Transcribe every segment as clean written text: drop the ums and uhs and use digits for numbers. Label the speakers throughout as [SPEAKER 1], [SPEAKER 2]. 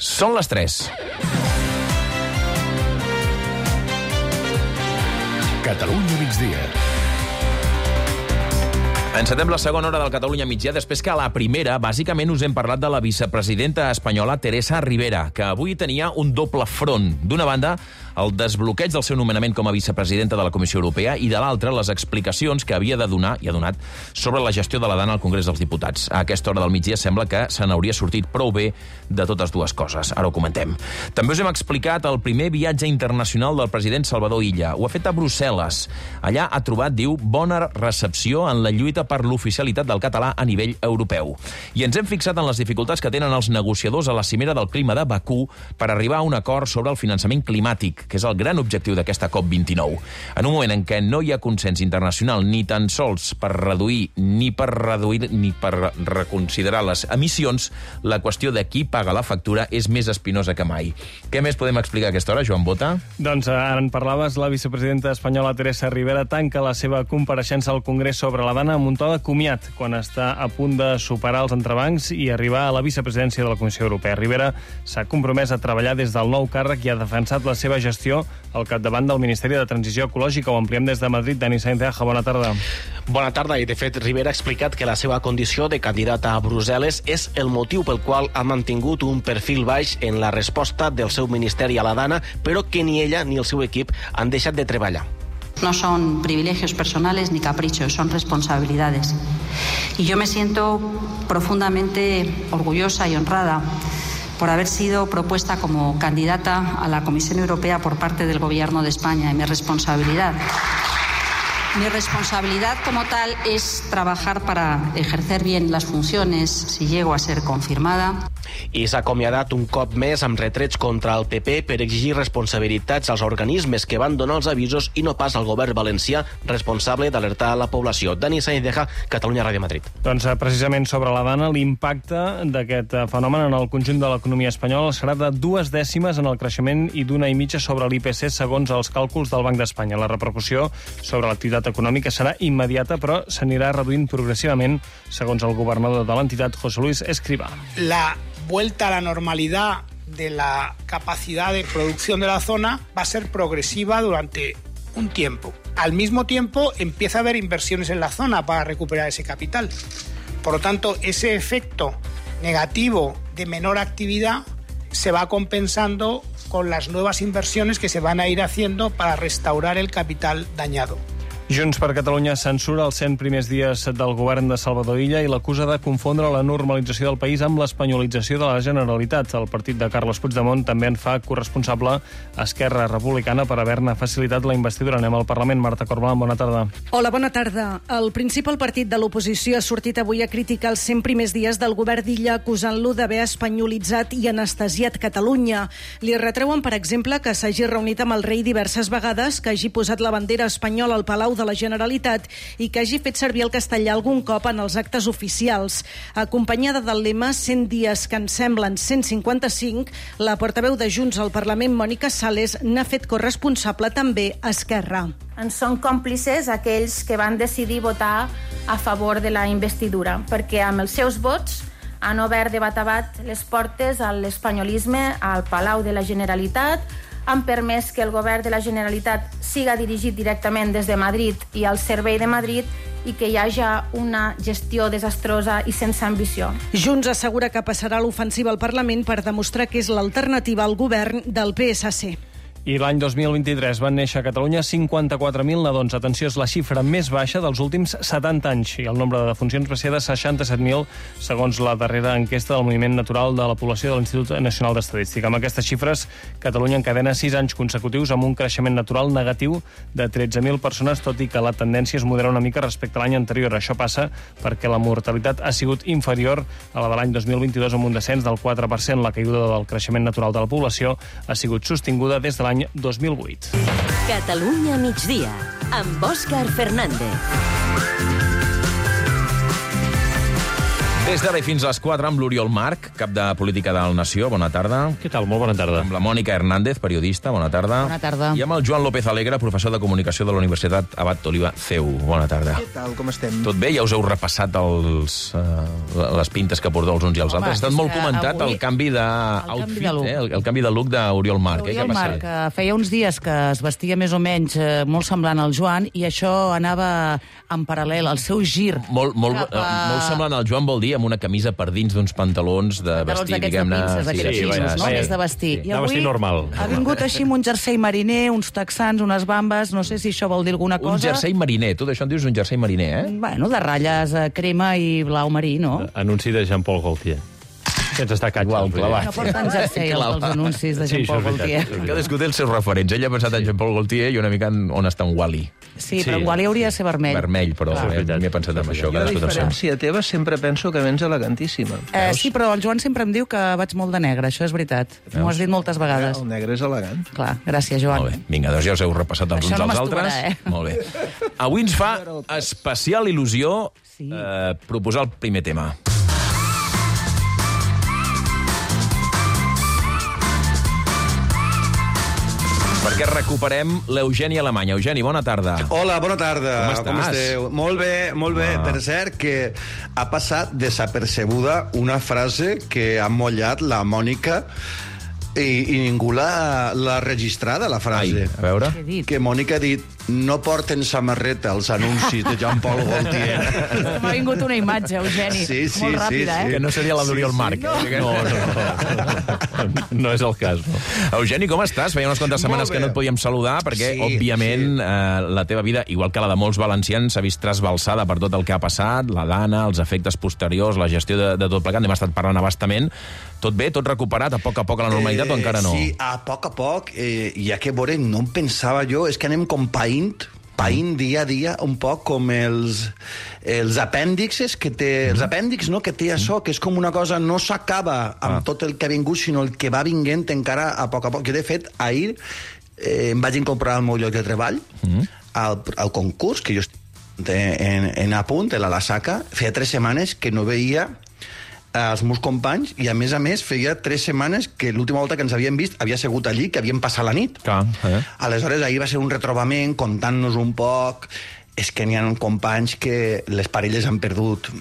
[SPEAKER 1] Són les 3.
[SPEAKER 2] Catalunya migdia.
[SPEAKER 1] Encetem la segona hora del Catalunya migdia, després que a la primera, bàsicament, us hem parlat de la vicepresidenta espanyola Teresa Ribera, que avui tenia un doble front. D'una banda, el desbloqueig del seu nomenament com a vicepresidenta de la Comissió Europea i, de l'altra, les explicacions que havia de donar, i ha donat, sobre la gestió de la Dana al Congrés dels Diputats. A aquesta hora del migdia sembla que se n'hauria sortit prou bé de totes dues coses. Ara ho comentem. També us hem explicat el primer viatge internacional del president Salvador Illa. Ho ha fet a Brussel·les. Allà ha trobat, diu, bona recepció en la lluita per l'oficialitat del català a nivell europeu. I ens hem fixat en les dificultats que tenen els negociadors a la cimera del clima de Bakú per arribar a un acord sobre el finançament climàtic, que és el gran objectiu d'aquesta COP29. En un moment en què no hi ha consens internacional ni tan sols per reduir ni per reconsiderar les emissions, la qüestió de qui paga la factura és més espinosa que mai. Què més podem explicar a aquesta hora, Joan Bota?
[SPEAKER 3] Doncs ara en parlaves, la vicepresidenta espanyola Teresa Ribera tanca la seva compareixença al Congrés sobre la Dana amb un to de comiat quan està a punt de superar els entrebancs i arribar a la vicepresidència de la Comissió Europea. Ribera s'ha compromès a treballar des del nou càrrec i ha defensat la seva gestió al capdavant del Ministeri de Transició Ecològica. Ho ampliem des de Madrid. Dani Sainz de Aja, bona tarda.
[SPEAKER 4] Bona tarda, i de fet Ribera ha explicat que la seva condició de candidata a Brussel·les és el motiu pel qual ha mantingut un perfil baix en la resposta del seu ministeri a la Dana, però que ni ella ni el seu equip han deixat de treballar.
[SPEAKER 5] No son privilegios personales ni caprichos, son responsabilidades. Y yo me siento profundamente orgullosa y honrada por haber sido propuesta como candidata a la Comisión Europea por parte del Gobierno de España. Y mi responsabilidad como tal es trabajar para ejercer bien las funciones si llego a ser confirmada.
[SPEAKER 4] I s'ha acomiadat un cop més amb retrets contra el PP per exigir responsabilitats als organismes que van donar els avisos i no pas al govern valencià responsable d'alertar la població. Dani Sainz de Aja, Catalunya Ràdio Madrid.
[SPEAKER 3] Doncs precisament sobre la Dana, l'impacte d'aquest fenomen en el conjunt de l'economia espanyola serà de 2 dècimes en el creixement i d'1,5 sobre l'IPC segons els càlculs del Banc d'Espanya. La repercussió sobre l'activitat econòmica serà immediata, però s'anirà reduint progressivament, segons el governador de l'entitat, José Luis Escrivá.
[SPEAKER 6] La vuelta a la normalidad de la capacidad de producción de la zona va a ser progresiva durante un tiempo. Al mismo tiempo, empieza a haber inversiones en la zona para recuperar ese capital. Por lo tanto, ese efecto negativo de menor actividad se va compensando con las nuevas inversiones que se van a ir haciendo para restaurar el capital dañado.
[SPEAKER 3] Junts per Catalunya censura els 100 primers dies del govern de Salvador Illa i l'acusa de confondre la normalització del país amb l'espanyolització de la Generalitat. El partit de Carles Puigdemont també en fa corresponsable a Esquerra Republicana per haver-ne facilitat la investidura. Anem al Parlament. Marta Corbalán, bona tarda.
[SPEAKER 7] Hola, bona tarda. El principal partit de l'oposició ha sortit avui a criticar els 100 primers dies del govern d'Illa, acusant-lo d'haver espanyolitzat i anestesiat Catalunya. Li retreuen, per exemple, que s'hagi reunit amb el rei diverses vegades, que hagi posat la bandera espanyola al Palau de la Generalitat i que hagi fet servir el castellà algun cop en els actes oficials. Acompanyada del lema 100 dies que ens semblen 155, la portaveu de Junts al Parlament, Mònica Sales, n'ha fet corresponsable també a Esquerra.
[SPEAKER 8] En són còmplices aquells que van decidir votar a favor de la investidura, perquè amb els seus vots han obert de bat a bat les portes a l'espanyolisme al Palau de la Generalitat, han permès que el govern de la Generalitat siga dirigit directament des de Madrid i al servei de Madrid i que hi hagi una gestió desastrosa i sense ambició.
[SPEAKER 7] Junts assegura que passarà l'ofensiva al Parlament per demostrar que és l'alternativa al govern del PSC.
[SPEAKER 3] I l'any 2023 van néixer a Catalunya 54.000 nadons. Atenció, és la xifra més baixa dels últims 70 anys i el nombre de defuncions va ser de 67.000, segons la darrera enquesta del Moviment Natural de la Població de l'Institut Nacional d'Estadística. Amb aquestes xifres, Catalunya encadena 6 anys consecutius amb un creixement natural negatiu de 13.000 persones, tot i que la tendència es modera una mica respecte a l'any anterior. Això passa perquè la mortalitat ha sigut inferior a la de l'any 2022 amb un descens del 4%. La caiguda del creixement natural de la població ha sigut sostinguda des de l'any 2008.
[SPEAKER 9] Catalunya migdia, amb Òscar Fernández.
[SPEAKER 1] Des d'ara i fins a les 4 amb l'Oriol Marc, cap de Política del Nació. Bona tarda.
[SPEAKER 3] Què tal? Molt bona tarda.
[SPEAKER 1] Amb la Mònica Hernández, periodista. Bona tarda.
[SPEAKER 10] Bona tarda.
[SPEAKER 1] I amb el Joan López Alegre, professor de Comunicació de la Universitat Abat Oliva CEU. Bona tarda.
[SPEAKER 11] Què tal? Com estem?
[SPEAKER 1] Tot bé? Ja us heu repassat les pintes que porteu els uns i els altres. Ha estat molt comentat el canvi d'outfit, el canvi de look d'Oriol Marc.
[SPEAKER 10] Oriol Marc, feia uns dies que es vestia més o menys molt semblant al Joan i això anava en paral·lel, el seu gir.
[SPEAKER 1] Molt semblant al Joan vol dir amb una camisa per dins d'uns pantalons de vestir, diguem-ne...
[SPEAKER 10] D'aquests pinces, no? Més de vestir.
[SPEAKER 3] De vestir normal.
[SPEAKER 10] Ha vingut així amb un jersei mariner, uns texans, unes bambes, no sé si això vol dir alguna cosa.
[SPEAKER 1] Un jersei mariner, tu d'això en dius un jersei mariner, eh?
[SPEAKER 10] Bueno, de ratlles crema i blau marí, no?
[SPEAKER 3] Anunci de Jean-Paul Gaultier. Sense estar catxes.
[SPEAKER 10] No porten jersei els anuncis de Jean-Paul Gaultier.
[SPEAKER 1] Cadascú té els seus referents. Ell ha pensat en Jean-Paul Gaultier i una mica on està en Wally.
[SPEAKER 10] Sí, però en Wally hauria de ser vermell.
[SPEAKER 1] Vermell, però m'he pensat en això.
[SPEAKER 11] Jo, a diferència teva, sempre penso que vens elegantíssima.
[SPEAKER 10] Sí, però el Joan sempre em diu que vaig molt de negre, això és veritat. M'ho has dit moltes vegades.
[SPEAKER 11] El negre és elegant.
[SPEAKER 10] Clar, gràcies, Joan.
[SPEAKER 1] Molt bé. Vinga, doncs ja us heu repassat els uns als altres. Molt bé. Avui ens fa especial il·lusió proposar el primer tema. Perquè recuperem l'Eugeni Alemany. Eugeni, bona tarda.
[SPEAKER 12] Hola, bona tarda.
[SPEAKER 1] Com
[SPEAKER 12] esteu? Molt bé, molt bé. Per cert, que ha passat desapercebuda una frase que ha mollat la Mònica i ningú l'ha registrada, la frase.
[SPEAKER 1] A veure.
[SPEAKER 12] Que Mònica ha dit: no porten samarreta als anuncis de Jean-Paul Gaultier.
[SPEAKER 10] M'ha vingut una imatge, Eugeni. Molt ràpida,
[SPEAKER 1] Que no seria la d'Oriol Marc.
[SPEAKER 3] No és el cas.
[SPEAKER 1] Eugeni, com estàs? Feia unes quantes setmanes que no et podíem saludar perquè, òbviament, la teva vida, igual que la de molts valencians, s'ha vist trasbalsada per tot el que ha passat, la Dana, els efectes posteriors, la gestió de tot plegat. N'hem estat parlant a bastament. Tot bé? Tot recuperat a poc a la normalitat o encara no?
[SPEAKER 12] Sí, a poc. Ja que, veure, no em pensava jo, és que anem com païnt dia a dia un poc com els apèndixes que té, els apèndix, no?, que té això, que és com una cosa, no s'acaba amb tot el que ha vingut, sinó el que va vinguent encara a poc. Jo, de fet, ahir em vaig incorporar al meu lloc de treball, al concurs, que jo estic en a punt, a la Saca, feia 3 setmanes que no veia els meus companys, i a més feia 3 setmanes que l'última volta que ens havíem vist havia sigut allí, que havíem passat la nit. Aleshores, ahir va ser un retrobament, contant-nos un poc. És que n'hi ha companys que les parelles han perdut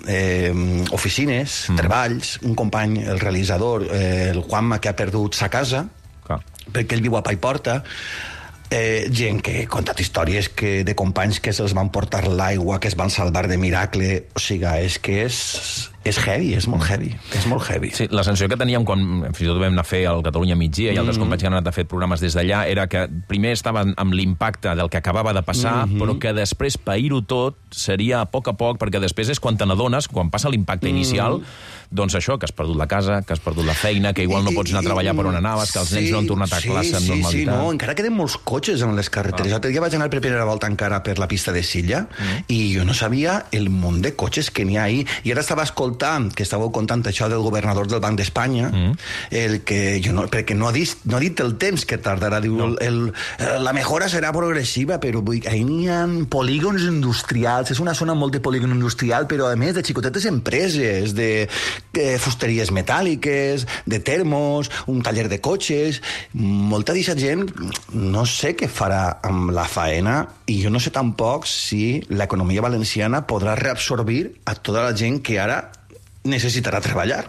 [SPEAKER 12] oficines, treballs. Un company, el realitzador, el Juanma, que ha perdut sa casa, perquè ell viu a Paiporta. Gent que ha contat històries de companys que se'ls van portar l'aigua, que es van salvar de miracle. O sigui, és que és heavy, és molt heavy.
[SPEAKER 1] Sí, la sensació que teníem quan fins i tot vam anar a fer el Catalunya Migdia i altres companys que han anat a fer programes des d'allà era que primer estaven amb l'impacte del que acabava de passar, però que després pair-ho tot seria a poc, perquè després és quan te n'adones, quan passa l'impacte inicial, doncs això, que has perdut la casa, que has perdut la feina, que igual no pots anar a treballar per on anaves, que els nens no han tornat a classe amb normalitat.
[SPEAKER 12] Sí, no, encara queden molts cotxes en les carreteres. L'altre dia vaig anar per primera volta encara per la pista de Silla i jo no sabia el munt de cotxes que n'hi ha ahí. I ara estava escoltant, que estàveu contant això del governador del Banc d'Espanya, perquè no ha dit el temps que tardarà. Diu, la mejora serà progressiva, però ahí n'hi ha polígons industrials, és una zona molt de polígon industrial, però a més de xicotetes empreses, de fusteries metàl·liques, de termos, un taller de cotxes. Molta d'aquesta gent no sé què farà amb la faena i jo no sé tampoc si l'economia valenciana podrà reabsorbir a tota la gent que ara necessitarà treballar.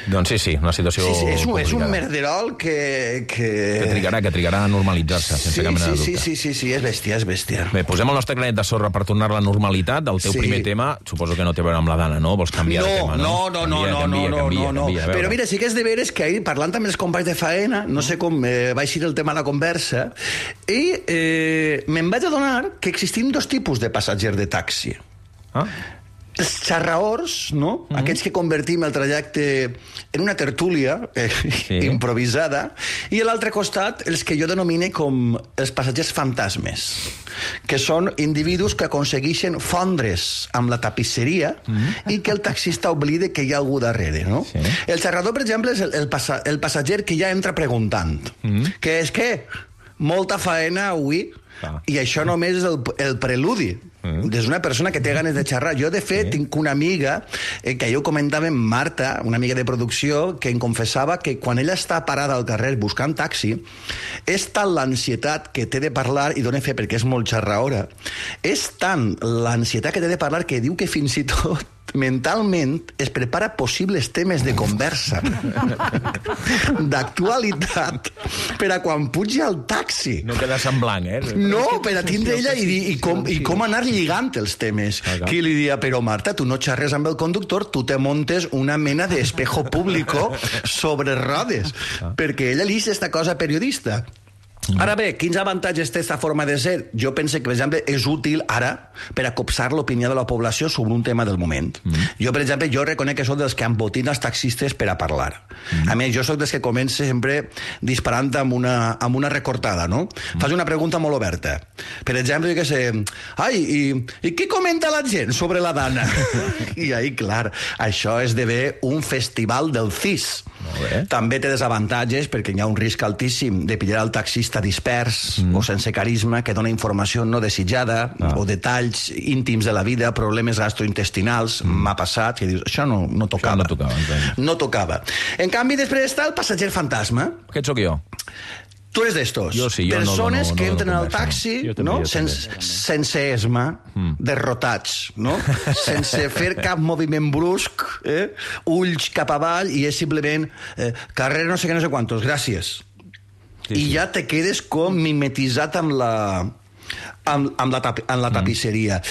[SPEAKER 1] Doncs sí, una situació complicada.
[SPEAKER 12] És un merderol que
[SPEAKER 1] trigarà a normalitzar-se, sense cap mena de dubte.
[SPEAKER 12] Sí, és bèstia.
[SPEAKER 1] Bé, posem el nostre granet de sorra per tornar a la normalitat. El teu primer tema, suposo que no té a veure amb la Dana, no? Vols canviar de tema, no?
[SPEAKER 12] No. Però mira, sí que és de veres que ahir, parlant amb els companys de faena, no sé com va eixir el tema a la conversa, i me'n vaig adonar que existim 2 tipus de passatgers de taxi. Els xarraors, no? Aquests que convertim el trajecte en una tertúlia improvisada, i a l'altre costat els que jo denomine com els passatgers fantasmes, que són individus que aconsegueixen fondre's amb la tapisseria i que el taxista oblida que hi ha algú darrere, no? El xarrador, per exemple, és el passatger que ja entra preguntant, que és que molta faena avui, i això només és el preludi Des d'una persona que té ganes de xerrar. Jo, de fet, tinc una amiga, que jo comentava, Marta, una amiga de producció, que em confessava que quan ella està parada al carrer buscant taxi, és tant l'ansietat que té de parlar, i dona fe perquè és molt xerraora, és tant l'ansietat que té de parlar que diu que fins i tot mentalment es prepara possibles temes de conversa d'actualitat per a quan pugi al taxi.
[SPEAKER 1] No queda semblant,
[SPEAKER 12] No, per a tindre ella i com anar lligant els temes. Qui li dia, però Marta, tu no xerres amb el conductor, tu te montes una mena d'espejo público sobre rodes, perquè ella li dice esta cosa periodista. Ara bé, quins avantatges té aquesta forma de ser? Jo penso que, per exemple, és útil ara per a copsar l'opinió de la població sobre un tema del moment. Jo, per exemple, reconec que soc dels que embotina els taxistes per a parlar. A més, jo soc dels que comença sempre disparant amb una recortada, no? Fas una pregunta molt oberta. Per exemple, jo què sé, i què comenta la gent sobre la dana? I ahí, clar, això esdevé un festival del CIS. També té desavantatges perquè hi ha un risc altíssim de pillar el taxista dispers o sense carisma, que dona informació no desitjada o detalls íntims de la vida, problemes gastrointestinals. M'ha passat, que dius, això no tocava. No tocava. En canvi, després està el passatger fantasma.
[SPEAKER 1] Aquest sóc jo.
[SPEAKER 12] Tu eres d'estos.
[SPEAKER 1] Jo sí, jo
[SPEAKER 12] persones
[SPEAKER 1] no
[SPEAKER 12] que entren al taxi sense esma, derrotats, no? Sense fer cap moviment brusc, ulls cap avall, i és simplement carrer no sé què, no sé quantos, gràcies. I ja te quedes com mimetitzat amb la tapisseria.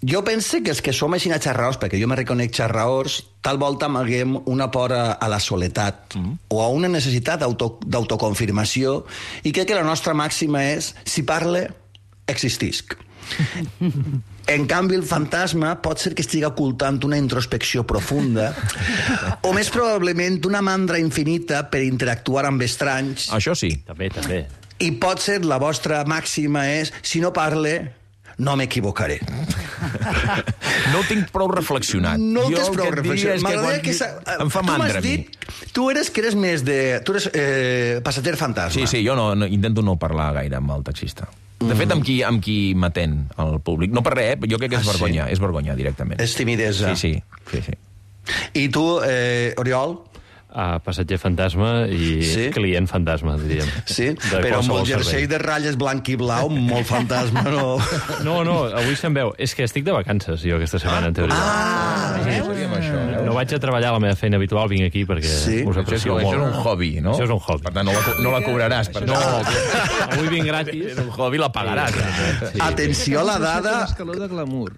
[SPEAKER 12] Jo penso que els que som així xerraors, perquè jo me reconec xerraors, tal volta amaguem una por a la soledat o a una necessitat d'autoconfirmació, i crec que la nostra màxima és: si parle, existisc. En canvi, el fantasma pot ser que estigui ocultant una introspecció profunda o, més probablement, una mandra infinita per interactuar amb estranys.
[SPEAKER 1] Això sí.
[SPEAKER 3] També.
[SPEAKER 12] I pot ser la vostra màxima és: si no parle, no m'equivocaré.
[SPEAKER 1] No ho tinc prou reflexionat.
[SPEAKER 12] No ho tens prou reflexionat.
[SPEAKER 1] M'agradaria que em fa mandra a mi.
[SPEAKER 12] Tu eres més de... Tu eres passatger fantasma.
[SPEAKER 1] Sí, jo intento no parlar gaire amb el taxista. De fet, amb qui m'atén el públic. No per res, jo crec que és vergonya. És vergonya, directament.
[SPEAKER 12] És timidesa.
[SPEAKER 1] Sí.
[SPEAKER 12] I tu, Oriol?
[SPEAKER 3] Passatger fantasma i client fantasma, diríem.
[SPEAKER 12] Sí, però amb el jersei de ratlles blanc i blau, molt fantasma, no?
[SPEAKER 3] No, avui se'n veu. És que estic de vacances, jo, aquesta setmana, en teoria. No vaig a treballar a la meva feina habitual, vinc aquí perquè us aprecio molt.
[SPEAKER 1] Això és un hobby, no?
[SPEAKER 3] Això és un hobby.
[SPEAKER 1] Per tant, no la cobraràs.
[SPEAKER 3] No, avui vinc gratis.
[SPEAKER 1] És un hobby, la pagaràs.
[SPEAKER 12] Atenció a la dada...
[SPEAKER 11] Escaló de glamour.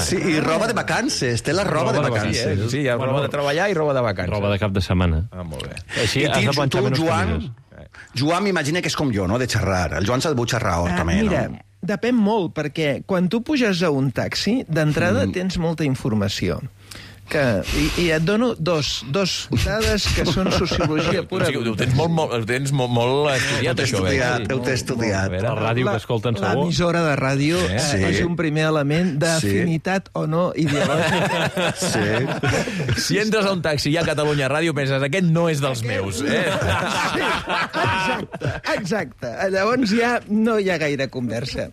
[SPEAKER 12] Sí, i roba de vacances. Té la roba de vacances.
[SPEAKER 1] Sí, hi ha roba de treballar i roba de vacances.
[SPEAKER 3] Roba de cap de setmana.
[SPEAKER 1] Molt bé.
[SPEAKER 3] Així has de planxar menys camises.
[SPEAKER 12] Joan m'imagina que és com jo, no?, de xerrar. El Joan s'ha de xerrar també, no?
[SPEAKER 11] Mira, depèn molt, perquè quan tu puges a un taxi, d'entrada tens molta informació. I et dono dos dades que són sociologia pura.
[SPEAKER 1] Ho tens molt estudiat, això.
[SPEAKER 12] Ho t'he estudiat.
[SPEAKER 3] La ràdio que escolten segur.
[SPEAKER 11] L'emissora de ràdio és un primer element d'afinitat o no ideològica.
[SPEAKER 12] Sí.
[SPEAKER 1] Si entres a un taxi i a Catalunya Ràdio penses, aquest no és dels meus.
[SPEAKER 11] Exacte. Llavors ja no hi ha gaire conversa.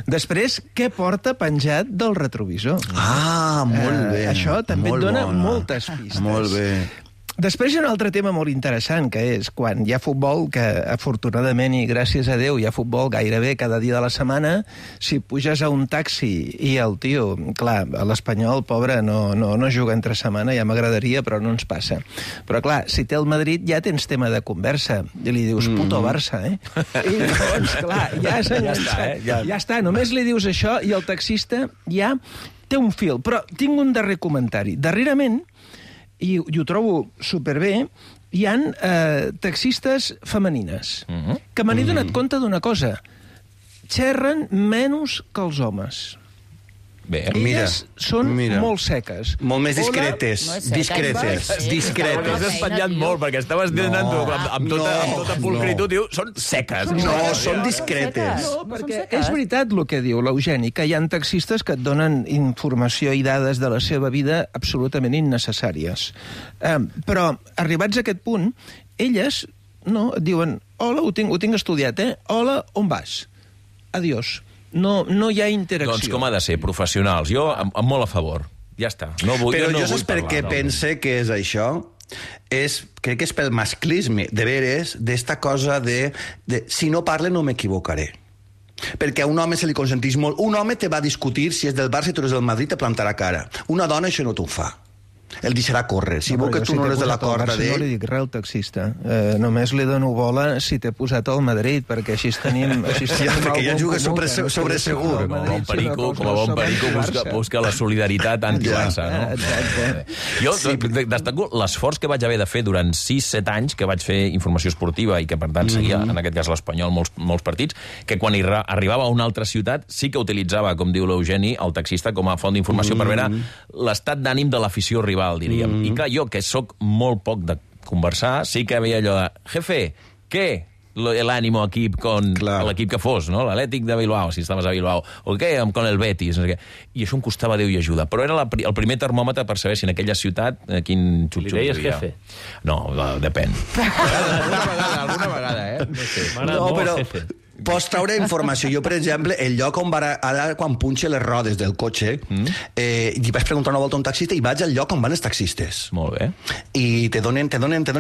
[SPEAKER 11] Després, què porta penjat del retrovisor?
[SPEAKER 12] Molt bé.
[SPEAKER 11] Això també dona moltes pistes.
[SPEAKER 12] Molt bé.
[SPEAKER 11] Després hi ha un altre tema molt interessant, que és quan hi ha futbol, que afortunadament i gràcies a Déu hi ha futbol gairebé cada dia de la setmana, si puges a un taxi i el tio, clar, l'Espanyol, pobre, no juga entre setmana, ja m'agradaria, però no ens passa. Però clar, si té el Madrid ja tens tema de conversa, i li dius puto Barça, I llavors, clar, ja està, només li dius això i el taxista ja té un fil. Però tinc un darrer comentari. Darrerament, i ho trobo superbé, hi han taxistes femenines que me n'he donat compte d'una cosa. Xerren menys que els homes.
[SPEAKER 1] Bé,
[SPEAKER 11] elles són molt seques.
[SPEAKER 12] Molt més discretes. Discretes.
[SPEAKER 1] T'has espatllat molt, perquè estaves dient amb tota pulcritud, diu, són seques.
[SPEAKER 12] No, són discretes.
[SPEAKER 11] No, perquè és veritat el que diu l'Eugeni, que hi ha taxistes que et donen informació i dades de la seva vida absolutament innecessàries. Però, arribats a aquest punt, elles et diuen, hola, ho tinc estudiat, hola, on vas? Adiós. No hi ha interacció.
[SPEAKER 1] Doncs com ha de ser, professionals. Jo, molt a favor. Ja està.
[SPEAKER 12] Però jo saps per què pense que és això? Crec que és pel masclisme, de veres, d'esta cosa de si no parle no m'equivocaré. Perquè a un home se li consenteix molt. Un home te va discutir si és del Barça i tu eres del Madrid, te plantarà cara. Una dona això no t'ho fa. El deixarà córrer. Si veu que tu no eres de la corda d'ell...
[SPEAKER 11] No li dic res al taxista. Només li dono bola si t'he posat al Madrid, perquè així tenim...
[SPEAKER 12] perquè ja juga sobre segur.
[SPEAKER 1] Com a bon perico busca la solidaritat anti-Barça, no?
[SPEAKER 11] Exacte.
[SPEAKER 1] Jo destaco l'esforç que vaig haver de fer durant 6-7 anys, que vaig fer informació esportiva i que, per tant, seguia, en aquest cas, l'Espanyol, molts partits, que quan arribava a una altra ciutat sí que utilitzava, com diu l'Eugeni, el taxista com a font d'informació per veure l'estat d'ànim de l'afició rival, diríem. I clar, jo, que sóc molt poc de conversar, sí que veia allò de jefe, què? L'ànimo equip con l'equip que fos, no? L'Atlètic de Bilbao, si estaves a Bilbao, o què, con el Betis, no sé què. I això em costava Déu i ajuda. Però era el primer termòmetre per saber si en aquella ciutat quin xup-xup hi havia.
[SPEAKER 13] Li deies jefe?
[SPEAKER 1] No, depèn.
[SPEAKER 13] Alguna vegada,
[SPEAKER 12] No sé. No, però... Pots treure informació. Jo, per exemple, el lloc on ara quan punxe les rodes del cotxe, i vaig preguntar una volta a un taxista i vaig al lloc on van els taxistes.
[SPEAKER 1] Molt bé.
[SPEAKER 12] I te donen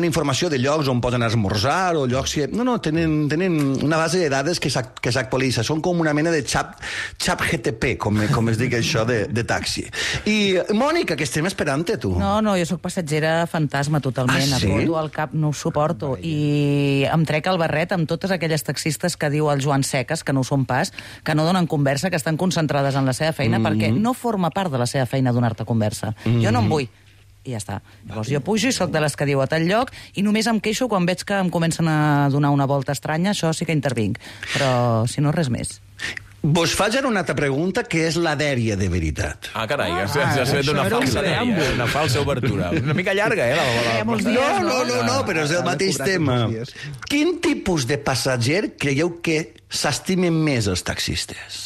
[SPEAKER 12] informació de llocs on poden esmorzar o llocs que... No, tenen una base de dades que s'actualitza. Són com una mena de xap GTP, com es dic això de taxi. I, Mònica, que estem esperant-te, tu.
[SPEAKER 10] No, jo sóc passatgera fantasma totalment.
[SPEAKER 12] Sí?
[SPEAKER 10] Apodo al cap, no ho suporto. I em trec el barret amb totes aquelles taxistes que diu el Joan Seques, que no ho són pas, que no donen conversa, que estan concentrades en la seva feina, perquè no forma part de la seva feina donar-te conversa. Jo no en vull. I ja està. Llavors jo pujo i sóc de les que diu a tal lloc i només em queixo quan veig que em comencen a donar una volta estranya, això sí que intervinc. Però, si no, res més.
[SPEAKER 12] Vos faig ara una altra pregunta, que és la dèria de veritat.
[SPEAKER 1] Ah, carai, has fet una falsa dèria, una falsa obertura. Una mica llarga,
[SPEAKER 12] No, però és el mateix tema. Quin tipus de passatger creieu que s'estimen més els taxistes?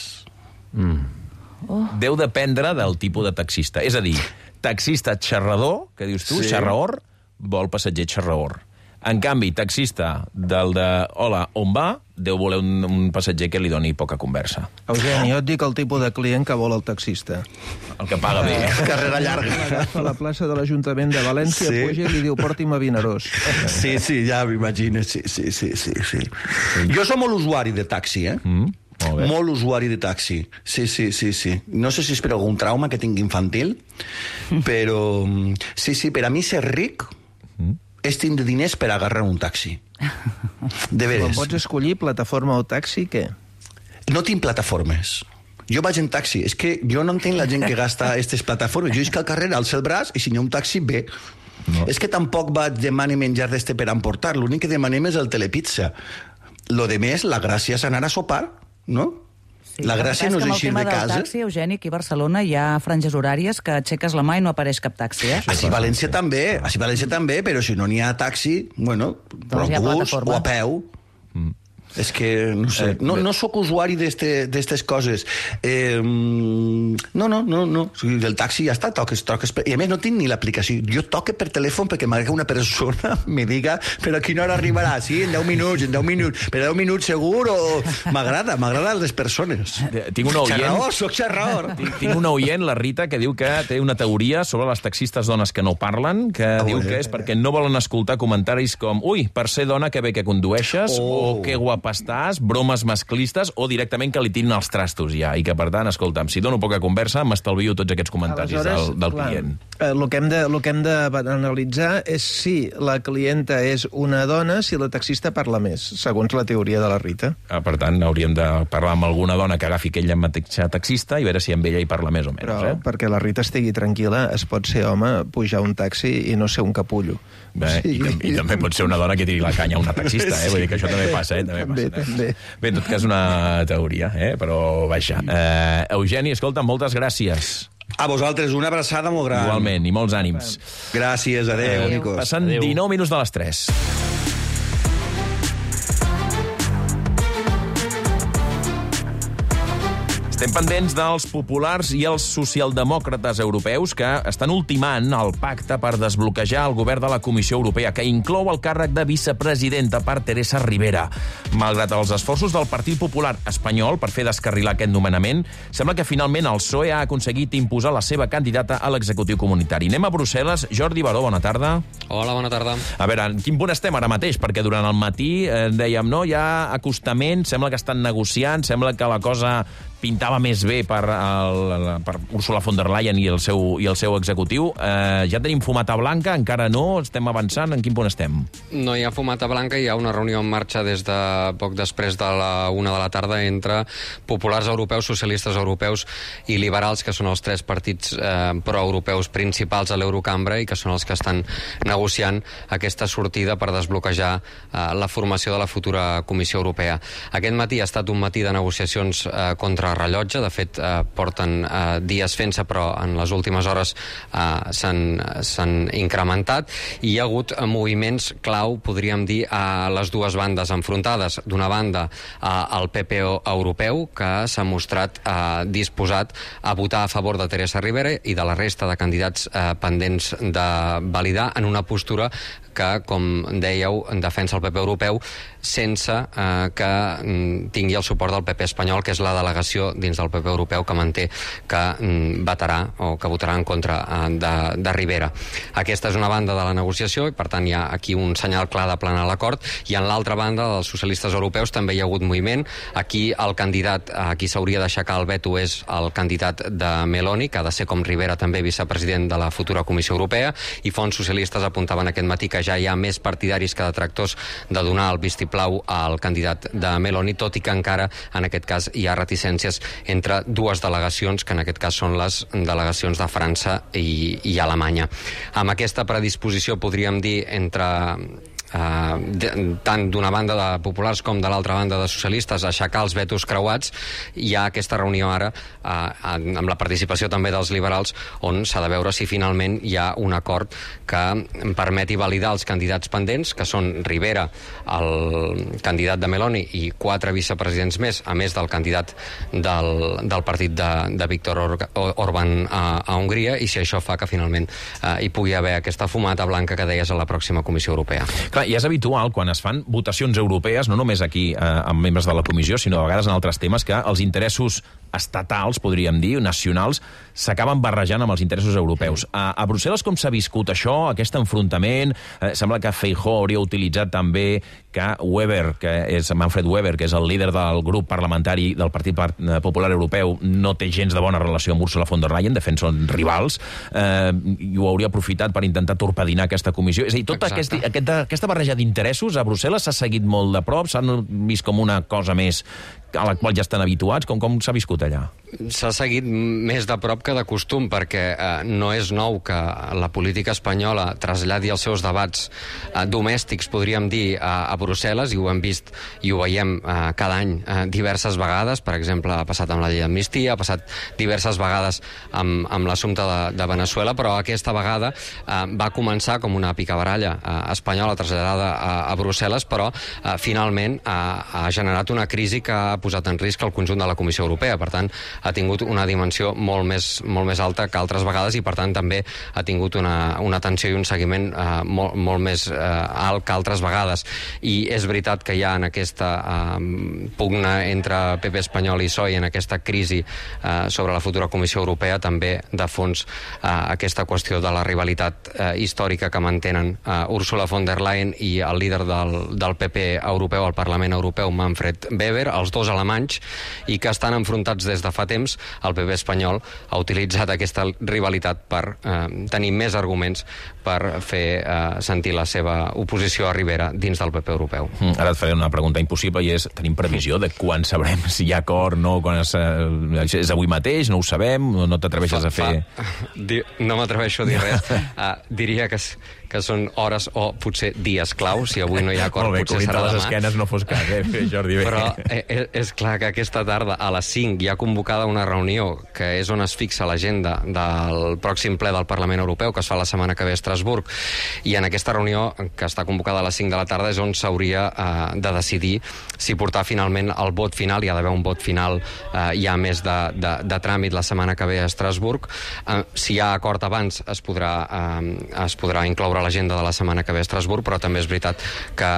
[SPEAKER 1] Deu dependre del tipus de taxista. És a dir, taxista xerrador, que dius tu, xerraor, vol passatger xerraor. En canvi, taxista del de hola, on va, deu voler un passatger que li doni poca conversa.
[SPEAKER 11] Eugeni, jo et dic el tipus de client que vol el taxista.
[SPEAKER 1] El que paga bé.
[SPEAKER 12] Carrera llarga.
[SPEAKER 11] Agafa la plaça de l'Ajuntament de València, puja i li diu, porti'm a Vinaròs.
[SPEAKER 12] Sí, ja m'imagino, sí. Jo som molt usuari de taxi, molt usuari de taxi. Sí. No sé si és per algun trauma que tingui infantil, però sí, per a mi ser ric és tindre diners per agarrar un taxi. De veres.
[SPEAKER 11] Quan pots escollir plataforma o taxi, què?
[SPEAKER 12] No tinc plataformes. Jo vaig en taxi. És que jo no entenc la gent que gasta aquestes plataformes. Jo és que al carrer alço el braç i si hi ha un taxi, bé. No. És que tampoc demanar menjar d'este per emportar. L'únic que demanem és el telepizza. Lo de més, la gràcia és anar a sopar, no?
[SPEAKER 10] Sí,
[SPEAKER 12] la gràcia no és eixir de casa.
[SPEAKER 10] El tema del taxi, Eugeni, aquí a Barcelona hi ha franges horàries que aixeques la mà i no apareix cap taxi,
[SPEAKER 12] Així a València també, però si no n'hi ha taxi, bueno, per autobús o a peu. És que, no sé, no sóc usuari d'estes coses. No. Del taxi ja està, toques. I a més no tinc ni l'aplicació. Jo toque per telèfon perquè m'agrada que una persona me diga però a quina hora arribarà? Sí, en 10 minuts. Per 10 minuts segur o... M'agrada les persones.
[SPEAKER 1] Tinc una oient...
[SPEAKER 12] Soc xerraor.
[SPEAKER 1] Tinc una oient, la Rita, que diu que té una teoria sobre les taxistes dones que no parlen, que diu que és perquè no volen escoltar comentaris com ui, per ser dona que bé que condueixes, o que guapa estàs, bromes masclistes o directament que li tirin els trastos ja, i que per tant, escolta'm, si dono poca conversa m'estalvio tots aquests comentaris del client.
[SPEAKER 11] El que hem d'analitzar és si la clienta és una dona, si la taxista parla més, segons la teoria de la Rita.
[SPEAKER 1] Per tant, hauríem de parlar amb alguna dona que agafi aquella mateixa taxista i veure si amb ella hi parla més o menys.
[SPEAKER 11] Però perquè la Rita estigui tranquil·la, es pot ser home, pujar un taxi i no ser un capullo.
[SPEAKER 1] I també pot ser una dona que tiri la canya a una taxista, vull dir que això també passa, També. Bé, en tot cas una teoria, però vaja. Eugeni, escolta, moltes gràcies.
[SPEAKER 12] A vosaltres, una abraçada molt gran.
[SPEAKER 1] Igualment, i molts ànims.
[SPEAKER 12] Gràcies, adéu, Nicos.
[SPEAKER 1] Passant 19 minuts de les 3. Estem pendents dels populars i els socialdemòcrates europeus que estan ultimant el pacte per desbloquejar el govern de la Comissió Europea, que inclou el càrrec de vicepresidenta per Teresa Ribera. Malgrat els esforços del Partit Popular espanyol per fer descarrilar aquest nomenament, sembla que finalment el PSOE ha aconseguit imposar la seva candidata a l'executiu comunitari. Anem a Brussel·les. Jordi Baró, bona tarda.
[SPEAKER 14] Hola, bona tarda.
[SPEAKER 1] A veure, en quin punt estem ara mateix? Perquè durant el matí dèiem, no, hi ha acostament, sembla que estan negociant, sembla que la cosa pintava més bé per Ursula von der Leyen i el seu executiu. Ja tenim fumata blanca? Encara no? Estem avançant? En quin punt estem?
[SPEAKER 14] No hi ha fumata blanca, hi ha una reunió en marxa des de poc després de la 1 de la tarda entre populars europeus, socialistes europeus i liberals, que són els tres partits proeuropeus principals a l'Eurocambra i que són els que estan negociant aquesta sortida per desbloquejar la formació de la futura Comissió Europea. Aquest matí ha estat un matí de negociacions contra rellotge, de fet porten dies fent-se, però en les últimes hores s'han incrementat i hi ha hagut moviments clau, podríem dir, a les dues bandes enfrontades. D'una banda, el PP europeu, que s'ha mostrat disposat a votar a favor de Teresa Ribera i de la resta de candidats pendents de validar, en una postura que, com dèieu, defensa el PP europeu sense que tingui el suport del PP espanyol, que és la delegació dins del PP europeu que manté que vetarà o que votarà en contra de Ribera. Aquesta és una banda de la negociació i, per tant, hi ha aquí un senyal clar de planar l'acord. I en l'altra banda, dels socialistes europeus, també hi ha hagut moviment. Aquí el candidat a qui s'hauria d'aixecar el veto és el candidat de Meloni, que ha de ser, com Ribera, també vicepresident de la futura Comissió Europea, i fonts socialistes apuntaven aquest matí que ja hi ha més partidaris que detractors de donar el vistiplau al candidat de Meloni, tot i que encara, en aquest cas, hi ha reticències entre dues delegacions, que en aquest cas són les delegacions de França i Alemanya. Amb aquesta predisposició, podríem dir, entre tant d'una banda de populars com de l'altra banda de socialistes, aixecar els vetos creuats, hi ha aquesta reunió ara amb la participació també dels liberals, on s'ha de veure si finalment hi ha un acord que permeti validar els candidats pendents, que són Ribera, el candidat de Meloni, i 4 vicepresidents més, a més del candidat del partit de Viktor Orbán a Hongria, i si això fa que finalment hi pugui haver aquesta fumata blanca que deies a la pròxima Comissió Europea.
[SPEAKER 1] Clar, i és habitual, quan es fan votacions europees, no només aquí amb membres de la comissió, sinó a vegades en altres temes, que els interessos estatals, podríem dir, nacionals, s'acaben barrejant amb els interessos europeus. A Brussel·les com s'ha viscut això, aquest enfrontament? Sembla que Feijóo hauria utilitzat també que Manfred Weber, que és el líder del grup parlamentari del Partit Popular Europeu, no té gens de bona relació amb Ursula von der Leyen, de fet són rivals, i ho hauria aprofitat per intentar torpedinar aquesta comissió. És a dir, tota aquesta barreja d'interessos a Brussel·les s'ha seguit molt de prop, s'han vist com una cosa més a la qual ja estan habituats? Com s'ha viscut allà?
[SPEAKER 14] S'ha seguit més de prop que de costum, perquè no és nou que la política espanyola traslladi els seus debats domèstics, podríem dir, a Brussel·les, i ho hem vist i ho veiem cada any diverses vegades. Per exemple, ha passat amb la llei d'amnistia, ha passat diverses vegades amb l'assumpte de Venezuela, però aquesta vegada va començar com una picabaralla espanyola traslladada a Brussel·les, però finalment ha generat una crisi que ha posat en risc el conjunt de la Comissió Europea. Per tant, ha tingut una dimensió molt més alta que altres vegades, i per tant també ha tingut una atenció i un seguiment molt més alt que altres vegades. I és veritat que hi ha en aquesta pugna entre PP espanyol i PSOE, en aquesta crisi sobre la futura Comissió Europea, també de fons aquesta qüestió de la rivalitat històrica que mantenen Ursula von der Leyen i el líder del PP europeu al Parlament Europeu, Manfred Weber, els dos alemanys, i que estan enfrontats des de fa temps. El PP espanyol ha utilitzat aquesta rivalitat per tenir més arguments per fer sentir la seva oposició a Ribera dins del PP europeu.
[SPEAKER 1] Ara et faré una pregunta impossible, i és: tenim previsió de quan sabrem si hi ha acord, no? És avui mateix? No ho sabem? No t'atreveixes a fer?
[SPEAKER 14] No m'atreveixo a dir res. Diria que que són hores o potser dies clau. Si avui no hi ha acord, potser serà demà.
[SPEAKER 1] Les esquenes no fos cas, Jordi.
[SPEAKER 14] Però és clar que aquesta tarda a les 5 hi ha convocada una reunió que és on es fixa l'agenda del pròxim ple del Parlament Europeu, que es fa la setmana que ve a Estrasburg, i en aquesta reunió, que està convocada a les 5 de la tarda, és on s'hauria de decidir si portar finalment el vot final. Hi ha d'haver un vot final ja més de tràmit la setmana que ve a Estrasburg. Si hi ha acord abans es podrà incloure a l'agenda de la setmana que ve a Estrasburg, però també és veritat que